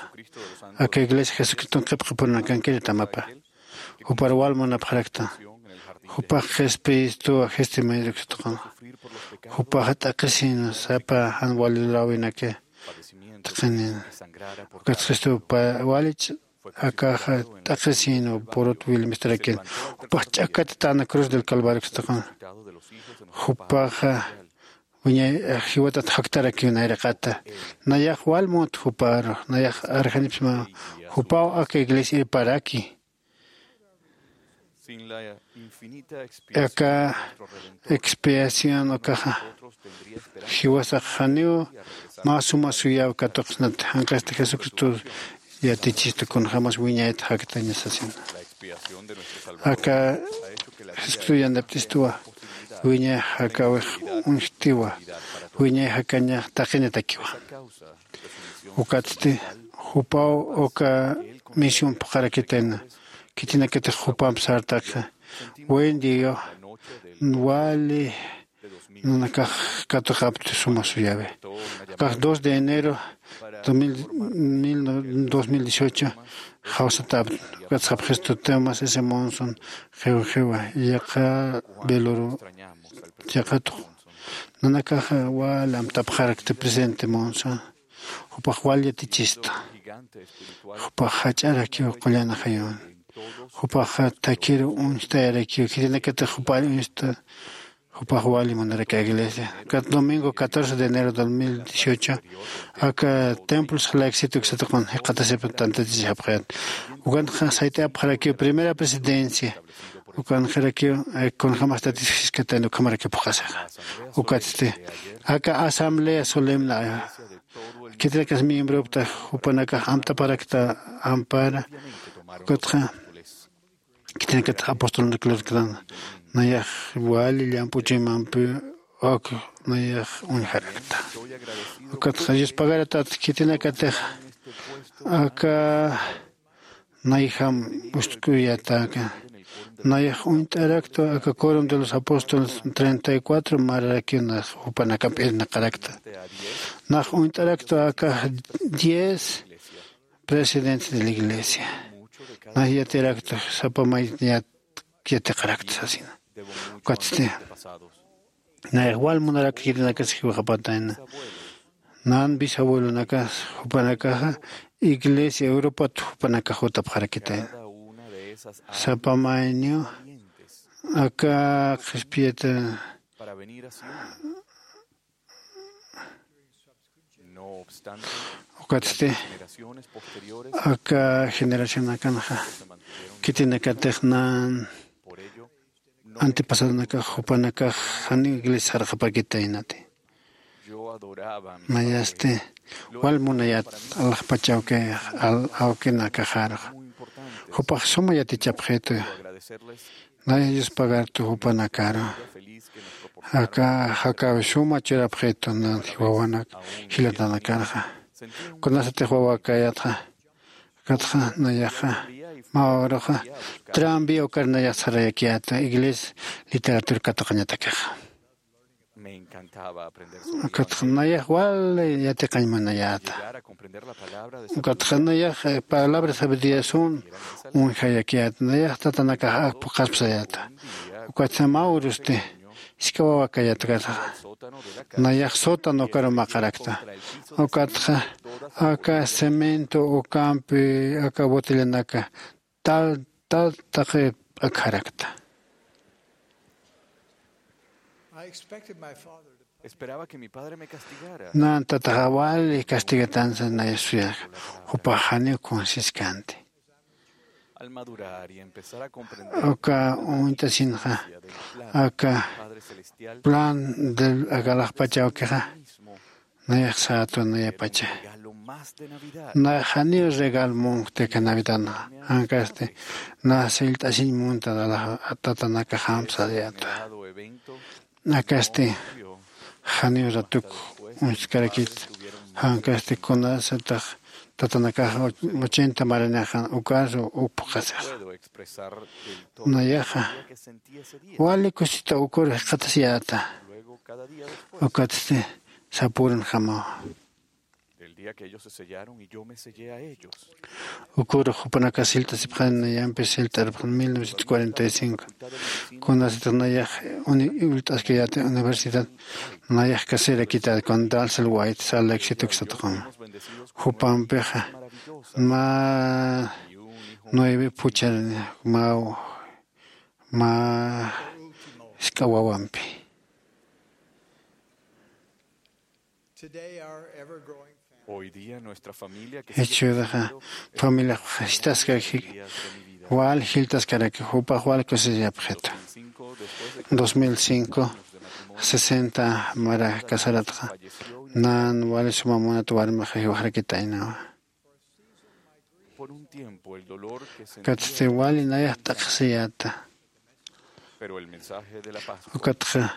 Aka iglesia Jesucriston qhipqipurunakankiri tamapa. Jupar wal munapxarakta. Jupax qhispiyistuwa, qhisti mayruksituqanxa. Jupaxa t'aqhisïna sapa jan wali luräwinaki. Taqinina. Ukat qhistupa walich akaxa t'aqhisïna purut wilmistarakin. Jupax ch'akatitana cruz del Calvario ksituqan. Jupaxa wiñay jiwatat jaktarakiw nayraqata. Nayax wal mut juparu, nayax arjanipsma jupaw aka iglesia irparaki. Aka expiación ukaxa jiwasax janiw mä suma suyaw katuqsnat, janq'asti Jesucristo yatichista kunjämas wiñayat jaktaña sasina. Aka Jesucristo yanapt'istuwa, wiñay jakäwix uñjtiwa, wiñay jakañax taqinatakiwa. Ukatsti jupaw uka misión phuqharakitayna, khitinakatix jupamp sartaki. Buen día, wali nanakax katuqapti suma suyawi. Akax dos de enero dos mil, mil no-, dos mil dieciocho jawsatapti. Ukat sapxistu Thomas S. Monson, xiw xiwa, yaqa velorio, yaqatux. Nanakaxa wal amtapxarakti presidente Monson. Jupax wal yatichista. Jupax jach'arakiw qullan ajayun. Jupax takiru uñstayarakiw. Khitinakatix jupar uñsta. Jupax wali munaraki iglesia. Kat domingo catorce de enero dos mil dieciocho, aka templos jalaksit uksatuqan jiqatasip tantatisichapxayat. Ukanxa sayt'apxarakiw primera presidencia. Ukanxarakiw, eh, kunjämas tatis jiskatayna ukhamarakiw phuqhasixa. Ukatsti aka asamblea solemne, eh, khitinakas miembropta jupanakax amtaparakta ampara. Ukatxa khitinakatix apostolunaklarktan nayax wali llamp'u chuymampi uk nayax uñjarakta. Ukatxa Dios pagaratat khitinakatix aka nayjam ustk'uyataka. Nayax uñt'arakta aka Quórum de los Apóstoles treinta y cuatro mararakiw nax jupanakamp irnaqarakta. Nax uñt'arakta aka diez presidentes de la iglesia. Nax yatirakta sapa may yat-, yatiqarakta sasina. Ukatsti nayax wal munarak khitinakas jiwxapatayna. Nan bisabuelonakas jupanakaxa iglesia Europat jupanakax jutapxarakitayna. Sapa mayniw aka qhispiyata. Ukatsti aka generacionakanxa khitinakatix nan antepasadonakax jupanakax janiw iglesia sarxapakitaynati. Nayasti wal munayät alaxpach awki, al-, awkinakaxarux. Jupax suma yatichapxitu. Nay Dios pagartu jupanakaru. Aka jakäwi suma churapxitu nan wawanak jilatanakarxa. Kunasatix wawakayatxa. Ukatxa nayaxa mä uruxa tranvía ukar nayax sarayakiyäta iglesia literatura katuqañatakixa. Ukatxa nayax wali yatiqañ munayäta. Ukatxa nayax, eh, palabra sabiduría sum uñjayakiyäta. Nayax tatanakax ak phuqhaspsayäta. Ukatxa mä urusti jisk'a wawakayäta ukatxa. Nayax sótano ukaru maqarakta. Ukatxa aka cemento ukampi aka botellanaka tal, tal taqi p'akharakta. I expected my father to Nan tataxa wali castigatansa nayasuyaxa, jupax janiw kunsiskanti. Uka uñt'asinxa aka plan del aka alaxpachawkixa nayax sätwa nayapacha. Nayax janiw regal munkti aka navidadxa, jankasti na sillt'asiñ munta tatanakaxamp sariyätwa. Akasti janiw ratuk uñstkarakit, jankasti kunasatax tatanakax ochenta maranixan ukaru upxasix. Nayaxa wali kusita ukur jikxatasiyäta. Ukatsti sapürinjamawa. Ukur jupanakax sillt'asipxani, nayampis sillt'arpxani mil novecientos cuarenta y cinco. Kunasatix nayax ullt'askayäti universidad, nayax caserakitäti con Dalsel White, Salt Lake City uksatxama. Jupampixa mä nueve phuchharani, mä mä jisk'a wawampi. Jichhüraxa familiax jistaskaki, wal jilltaskarakix, jupax wal kusisiyapxitu. Dos mil cinco, sesenta mara casaratxa, nan wali suma munat warmixa jiwxarakitaynawa. Katsti wali nayax t'aqhisiyäta. Ukatxa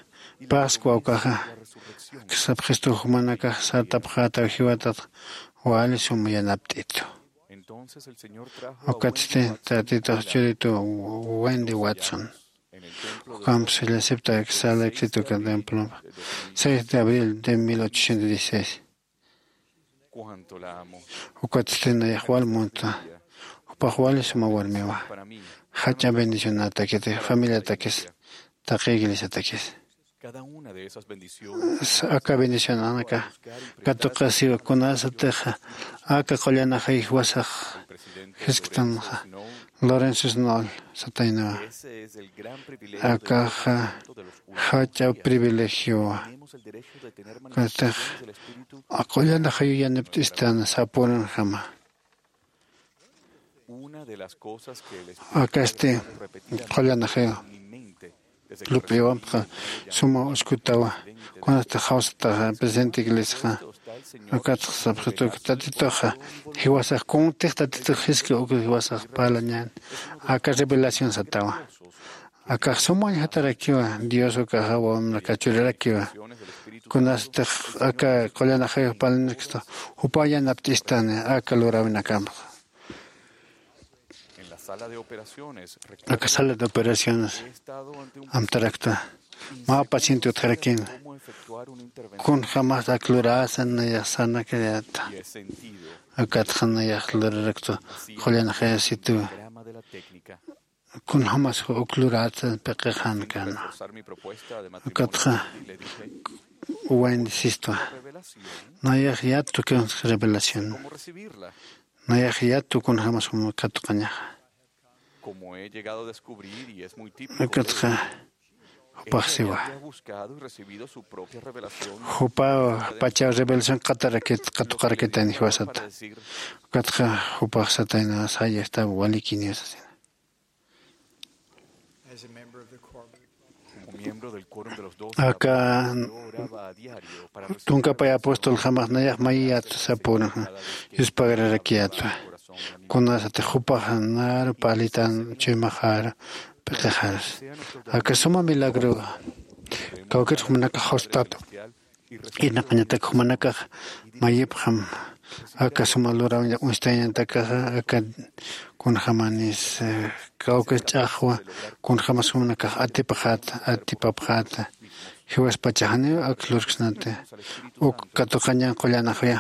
Pascua ukaxa sapxistu, jumanakax sartapxätaw jiwatatxa wali sum yanapt'itu. Ukatsti Tatitux churitu Wendy Watson, ukamps llasipta Salt Lake City uka templompi, seis de abril de mil ochocientos dieciséis. Ukatsti nayax wal munta, jupax wali suma warmiwa. Jach'a bendicionatakiti familiatakis, taqi iglesiatakis. Aka bendicionanaka katuqasiwa kunasatixa aka qullanaxay jiwasax jisktanxa. Lorenzo Snow sataynawa. Akaxa jach'a privilegiowa. Kastix aqullanaxayu yanapt'istan sapürinjama. Akasti qullanaxayu lup'iwampxa suma uskutawa. Kunasti jawsataxa presente iglesiaxa, ukatxa sapxitu Tatituxa jiwasax kuntix Tatitux jiski uk jiwasax parlañän. Aka revelación satawa. Akax suma uñjatarakiwa, Dios ukaxa wawamnaka churarakiwa. Kunastix aka qullanaxayu parlañarakistux jupaw yanapt'istani aka luräwinakamxa. Aka sala de operaciones amtarakta mä paciente utjarakïna. Kunjämas ak luräsa nayax sanakayäta. Akatxa nayax lurarakta qullanaxayasituwa. Kunjämas uk luräsa piqixänkänwa. Akatxa Wendy sistwa. Nayax yattu kunsa revelación. Nayax yattu kunjämas juma katuqañaxa. Ukatxa jupax siwa. Jupaw pachaw revelación qatarakit, katuqarakitayna jiwasata. Ukatxa jupax satayna, saya, está walikiniw sasina. Aka tunka pay apostol jamax nayax mayiyät sapüna, yuspagrarakiyätwa. Kunasatix jupax naru parlitan chuymaxaru p'iqixarus. Aka suma milagro kawkir jumanakax jawstatu. Irnaqañatak jumanakax mayipxam aka suma luräwinak uñstañatakaxa, aka kunjämanis kawkir ch'axwa, kunjämas jumanakax atipxäta, atipapxäta. Jiwaspacha janiw ak lurksnati. Uk katuqañan qullanaxaya,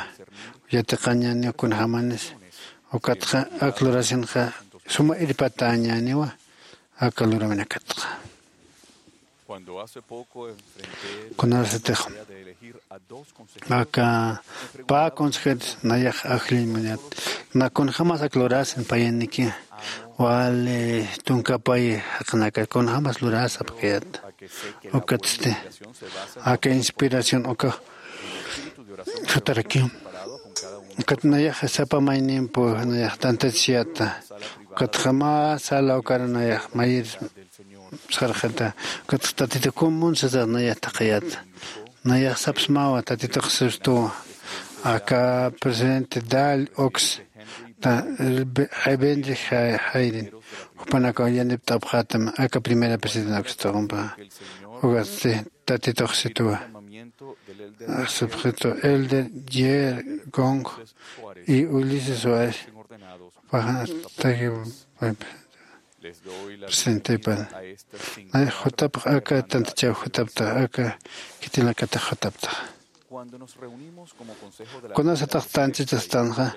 yatiqañaniw kunjämanis. Ukatxa ak lurasinxa suma irpatäñäniwa aka luräwinakatxa. Kunasatix aka pä consejeros nayax ajlliñ munat, na kunjämas ak lurasin payaniki, wali tunka pay jaqinaka kunjämas lurasa pkayat. Ukatsti aka inspiración uka jutarakiw. Ukat nayax sapa maynimpu nayax tantachiyata. Ukatxa mä sala ukar nayax mayir sarxata. Ukatxa tatitu kumun sasa nayax taqiyata. Nayax sapsmawa tatitux sistuwa. Aka presidente dal ox ta rebende jayrin jupanakaw yanipt'apxätam aka primera presidenta ukstuqumpa. Ukatsti tatitux situwa. Sapxitu elder jer gong y ulises suárez. Paxantaki presentepan. Nay jutapx aka tantachaw jutaptax aka khitinakatax jutaptax. Kunasatax tantachastanxa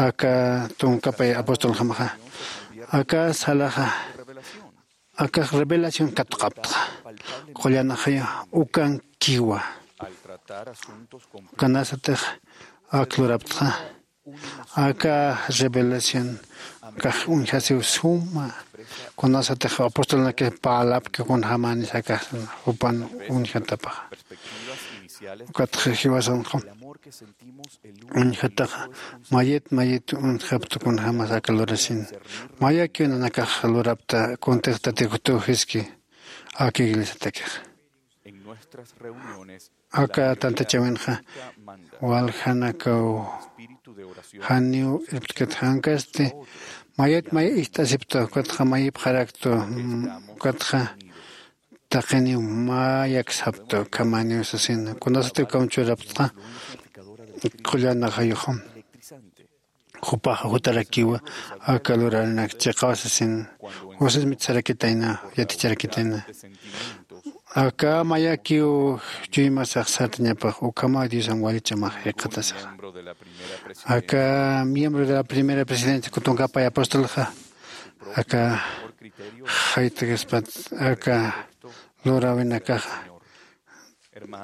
aka tunkapay apostoljamaxa aka salaxa akax revelación katuqaptaxa. Qullanaxaya ukankiwa. Kunasatix ak luraptaxa aka revelación kax uñjasiw suma. Kunasatix apostolnaki parlapki kunjämanis akax jupan uñjatapaxa. Ukatxa jiwasanxa uñjataxa mayit mayit uñjapta kunjämas aka lurasin. Mayakiw nanakax lurapta kuntix tatikutuw jiski aka iglesiatakixa. Aka tantachäwinxa waljanakaw janiw irptkat jankasti mayat may ist'asipta ukatxa mayipxaraktu. Ukatxa taqiniw mayaksapta ukhamaniw sasina kunasatiw ukham churaptxa qullanaxayuxam. Jupaxa jutarakiwa aka lurarinak chiqaw sasin. Josesmit sarakitayna yaticharakitayna. Aka mayakiw chuymasax sartañapax ukhamaw diosan wali ch'amax jikxatasaxa. Aka miembro de la primera presidencia kutunkapay apostolxa aka jaytakaspat aka luräwinakaxa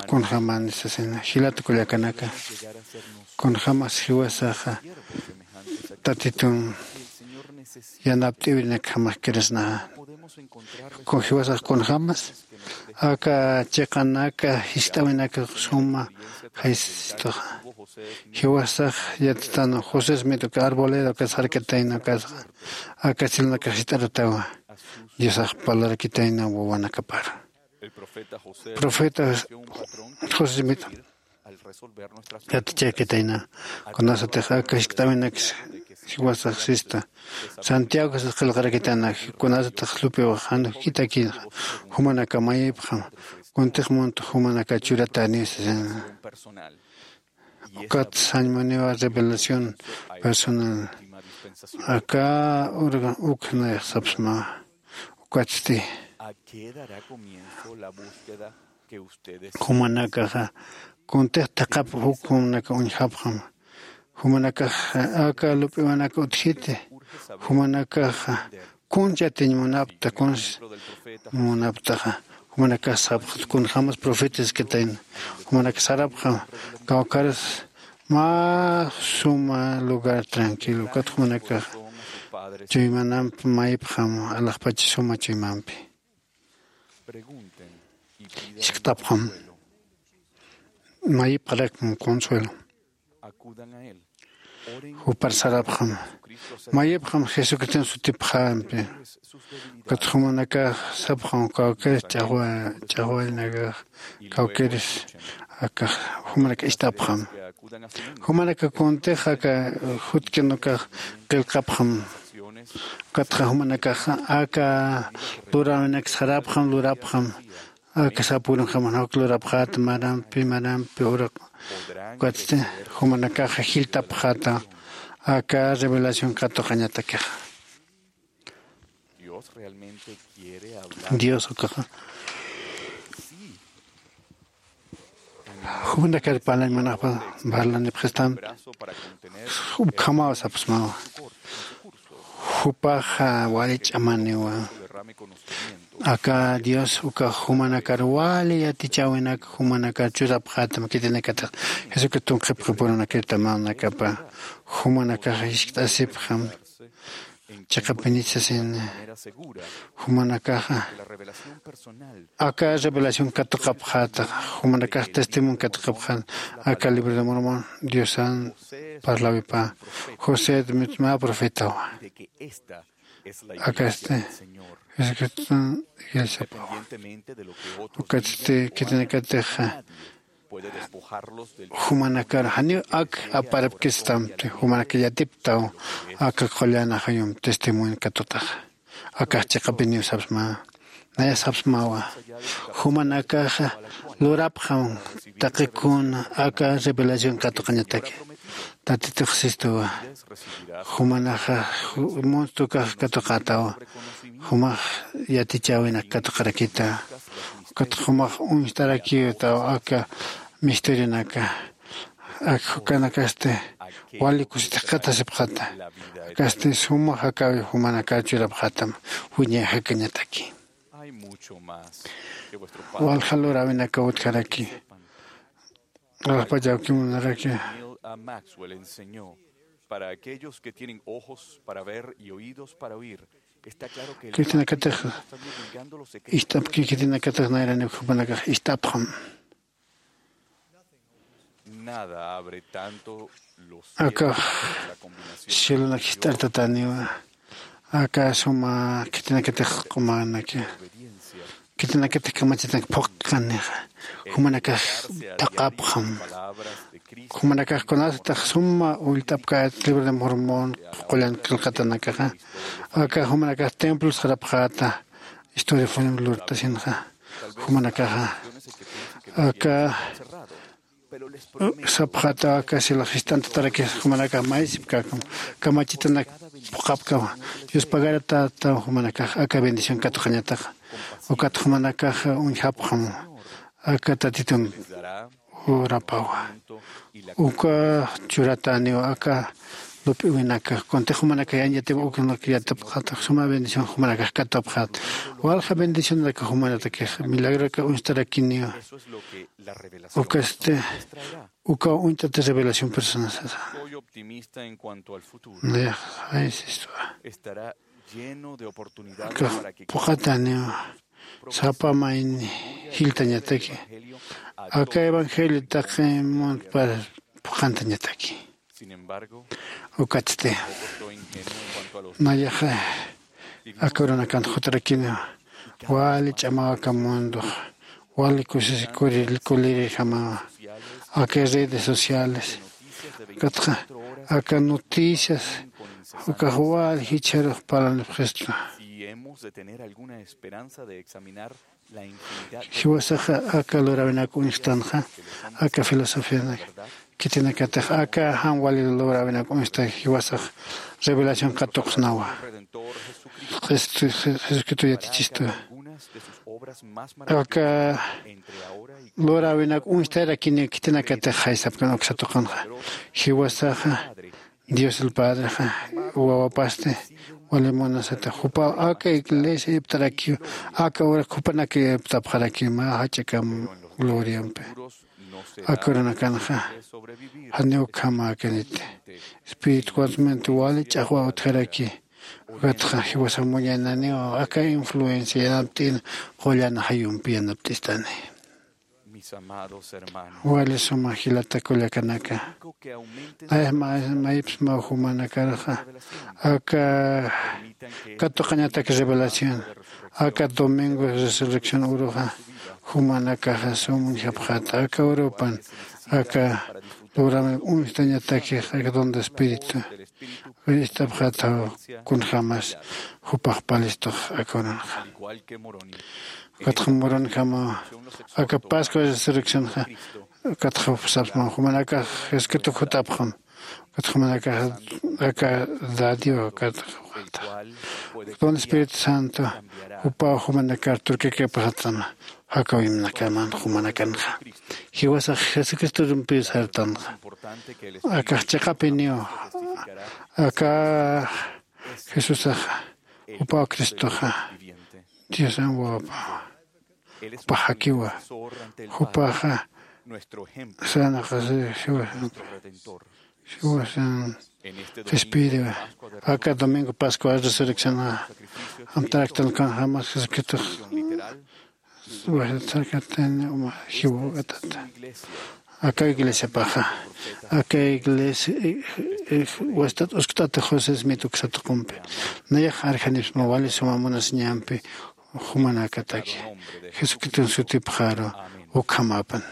kunjämani sasina jilata kullakanaka. Kunjämas jiwasaxa tatitun yanapt'iwirinakjamax kirasnaxa. Jiwasax kunjämas aka chiqanaka jist'äwinaka suma jaysistuxa. Jiwasax yatitan josesmit uka arboleda uka sarkatayna ukasxa aka silunakax jist'aratawa. Diosax parlarakitayna wawanakapar profeta josesmit yatichakitayna. Kunasatix aka jiskt'äwinak jiwasax sista santiago sas qillqarakitana. Kunasatix lupiwax jan juk'itakïnxa jumanaka mayipxam kuntix muntux jumanaka churatäniw sasina. Ukat sañmuniwa revelación personal aka urga uk nayax sapsmawa. Ukatsti jumanakaxa kuntix thaqhap uk jumanaka uñjapxam. Jumanakax aka lup'iwanaka utjiti jumanakaxa kunchatiñ munapta kunsa munaptaxa. Jumanakax sapxta kunjämas profetaskitayna. Jumanakax sarapxam kawkharus mä suma lugar tranquilo ukat jumanakaxa chuymanampi mayipxam alaxpacha suma chuymampi. Jiskt'apxam mayipxarakm consuelo. Jupar sarapxam mayipxam jesucriston sutipxampi. Ukat jumanakax sapxam kawkir ch'axwarinakax kawkiris akax jumanak ist'apxam. Jumanaka kuntix aka jutkin ukax qillqapxam. Ukatxa jumanakax aka luräwinak sarapxam lurapxam. Aka sapwirunjamanak lurapxäta marampi marampi uraq ukatsti jumanakaxa jilltapxäta aka revelación katuqañatakixa. Dios ukaxa jumanakar parlañ munapxpa parlanipxistam. Ukhamaw sapsmawa jupaxa wali ch'amaniwa. Aka dios ukax jumanakar wali yatichäwinak jumanakar churapxätam khitinakatix jesucriston qhipxipurunakirta manakapa jumanakax jiskt'asipxam. Chiqapinit sasin, jumanakaxa aka revelación katuqapxäta, jumanakax testimonio katuqapxän aka libro de Mormon diosan parlawipa, José mitma profetawa. Akasti Jesucriston iglesiapawa. Ukatsti khitinakatixa jumanakar janiw ak aparapkistamti, jumanaka yatiptaw aka qullanajayum testimonio katutaxa. Akax chiqapiniw sapsma, naya sapsmawa. Jumanakaxa lurapxam taqikuna aka revelación katuqañataki. Tatitux sistuwa. Jumanaxa monstrukax katuqatawa. Jumax yatichäwinak katuqarakita. Ukat jumax uñstarakiwtawa aka misterionaka. Ak jukanakasti wali kusitix katasipxata. Akasti suma jakawi jumanakar churapxatam wiñay jakañataki. Walja luräwinakaw utjaraki. Rajpachawkimunaraki. Para aquellos que tienen ojos para ver y oídos para oír, está claro que el Cristianakatix ist'apki, cristianakatix nayraniw jupanakax ist'apxam. Akax cielonak jist'artataniwa. Aka suma khitinakatix q'umanaki, khitinakatix kamachitanak phuqkanixa, jumanakax taqapxam. Jumanakax kunasatix suma ullt'apkät libro de Mormon qullan qillqatanakaxa, aka jumanakax templos sarapxäta, historia fueron lurtasinxa. Jumanakaxa aka sapxätawa, aka silax jist'antatarakis jumanakax maysipkäkam, kamachitanak phuqhapkam. Dios pagaratätaw jumanakax aka bendición katuqañataxa. Ukat jumanakax uñjapxam aka tatitun urapawa. Uka churatäniw aka lup'iwinaka kuntix jumanakax yañatip uknak yatipxäta, suma bendición jumanakax katupxäta. Walja bendicionaraka jumanatakix milagroraka uñstarakiniwa. Ukasti ukaw uñt'ati revelación personal sasa. Nayax jaysistwa. Aka phuqhatäniwa sapa mayni jilltañataki, aka evangelio taqi muntpar phuqhantañataki. Ukatsti nayaxa aka urunakant jutrakiniwa. Wali ch'amaw aka mundox, wali kusis kulirijamawa aka redes sociales, ukatxa aka noticias ukax wali jichharux parlanipxistu. Jiwasaxa aka luräwinak uñstanxa aka filosofianak khitinakatix aka jan wali luräwinak uñsta jiwasax revelación katuqsnawa. Jesucristo yatichistu aka luräwinak uñstarakini khitinakatix jaysapkan uksatuqanxa. Jiwasaxa Dios el Padrexa wawapasti wali munasata jupaw aka iglesia iptarakiw, aka urak jupanak iptapxarakiw mä jach'akam gloriampi. Aka urunakanxa janiw ukhamäkaniti, espiritualmente wali ch'axwa utjaraki. Ukatxa jiwasa muñananiw aka influencia yanapt'in qullan jayumpi yanapt'istani. Wali suma jilata kullakanaka, maypsmaw jumanakarxa aka katuqañatak revelación, aka domingo resurrección uruxa jumanakaxa sum uñjapxäta aka urupan aka luräwin uñstañatakix aka don de espíritu ist'apxätaw kunjämas jupax palistux aka urunxa. Ukatxa muranjamaw aka pascua resurreccionxa. Ukatxa sapsmaw jumanakax jesucristox jutapxam. Ukatxa jumanakax aka dadiwa ukatxa don espíritu santo jupaw jumanakar turkakipxatam. Jakawimnakaman jumanakanxa jiwasax jesucristorumpiw sartanxa. Akax chiqapiniw aka jesusaxa jupaw cristoxa diosan wawapawa. Jupax jakiwa jupaxa sanaqasi jiwasan jiwasan qhispiyiriwa. Aka domingo Pascua resurrección amtaraktan kan jamas Jesucristo. Wajtasarkatani uma jiwawk'atata. Aka iglesiapaxa, aka iglesia, eh, eh, wastat uskt'ata José Smith uksa tuqumpi. Nayax arjanipsma wali suma munasiñampi jumanakataki. Jesucriston sutipxaru ukhamapan.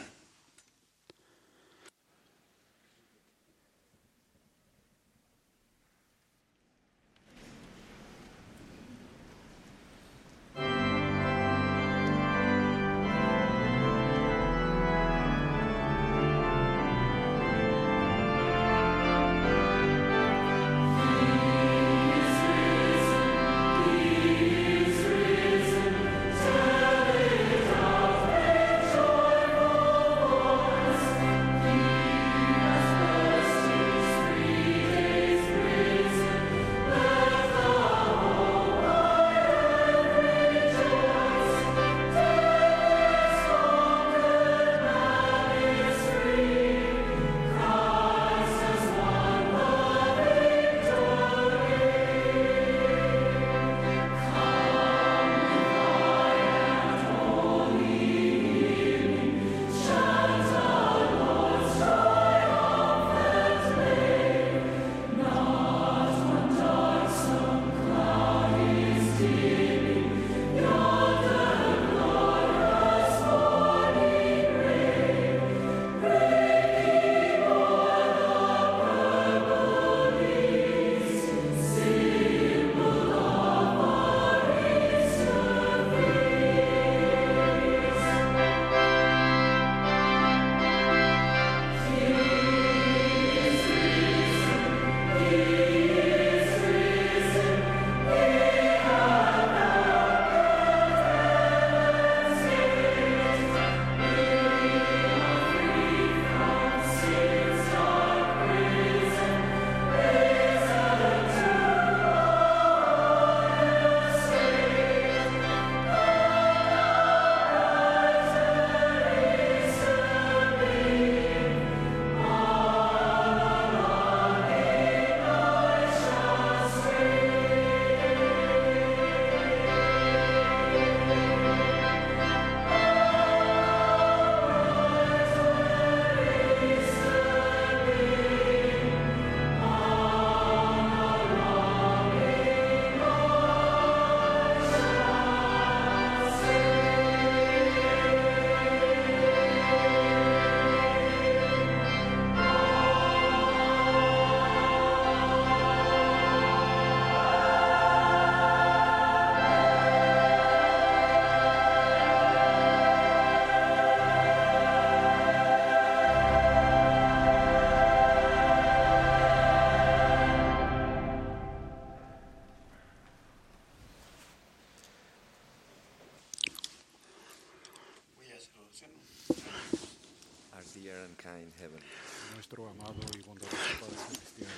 Our dear and kind Heavenly Father. Nuestro amado y bondadoso Padre Celestial.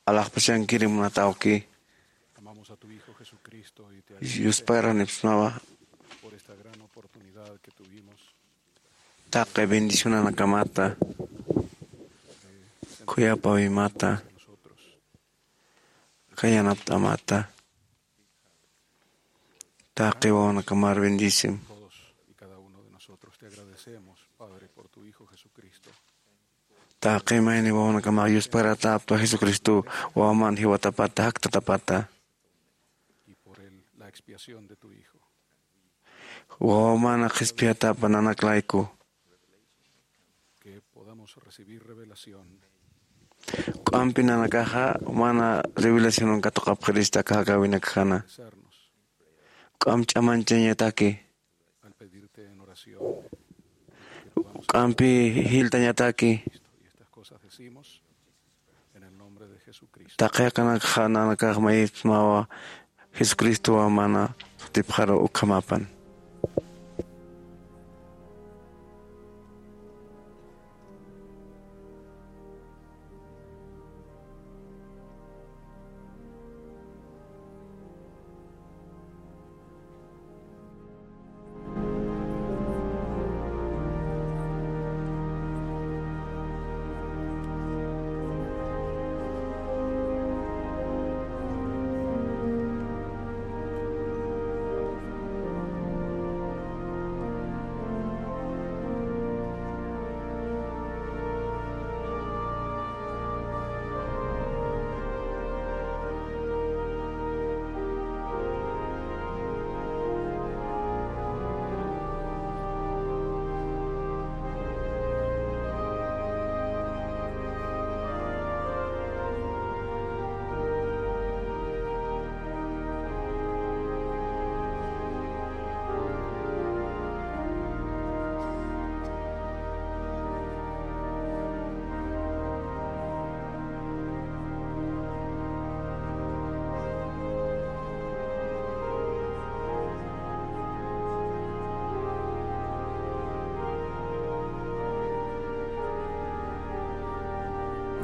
Alaxpachankiri munat awki. Amamos a tu Hijo Jesucristo y te agradecemos Yusparanipsmawa por esta gran oportunidad que tuvimos taqi bendicionanakamata, de sentarnos khuyapawimata, nosotros. Khayanapt'amata. Taqi wawanakamar bendisim. Todos y cada uno de nosotros te agradecemos, Padre, por tu Hijo Jesucristo. Taqi mayni wawanakamar Yusparatapta Jesucristo wawaman jiwatapata, jaktatapata. Y por él, la expiación de tu Hijo. Wawamana qhispiyatapa nanak layku. Que podamos recibir revelación. Juk'ampi nanakaxa mana revelacionan katuqapxirista aka jakäwinakjana. Juk'amp ch'amanchañataki. Al pedirte en oración. Juk'ampi jiltañataki. Y estas cosas decimos en el nombre de Jesucristo. Taqi jakanakxa nanakax mayipsmawa Jesucristo wawamana sutipxaru ukhamapan.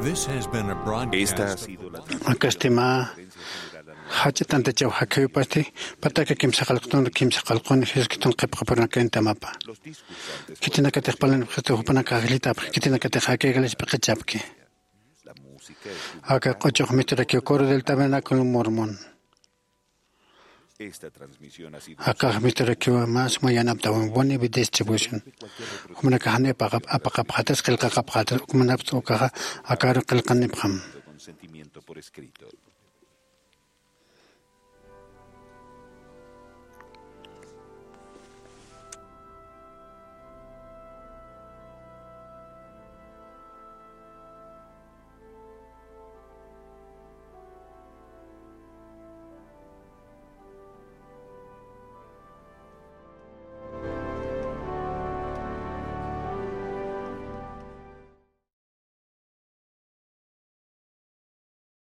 Esta ha sido la Akastima jach'a tantachaw jakhiwipasti, pataka kimsa qalqtun, kimsa qalqun Jesucristun qhipqapurunakayntamapa. Khitinakatix palanipxistu jupanakax ajllitapxi, khitinakatix aka iglesiapi qhichapki. Aka q'uchux misturakiw Coro del Tabernáculo Mormón. Akax misturakiw mä suma yanaptawan Boni Distribution. Jumanakax jani apaqap-, apaqapxatas, qillqaqapxatas, ukmanapxta ukaxa akaru qillqanipxam.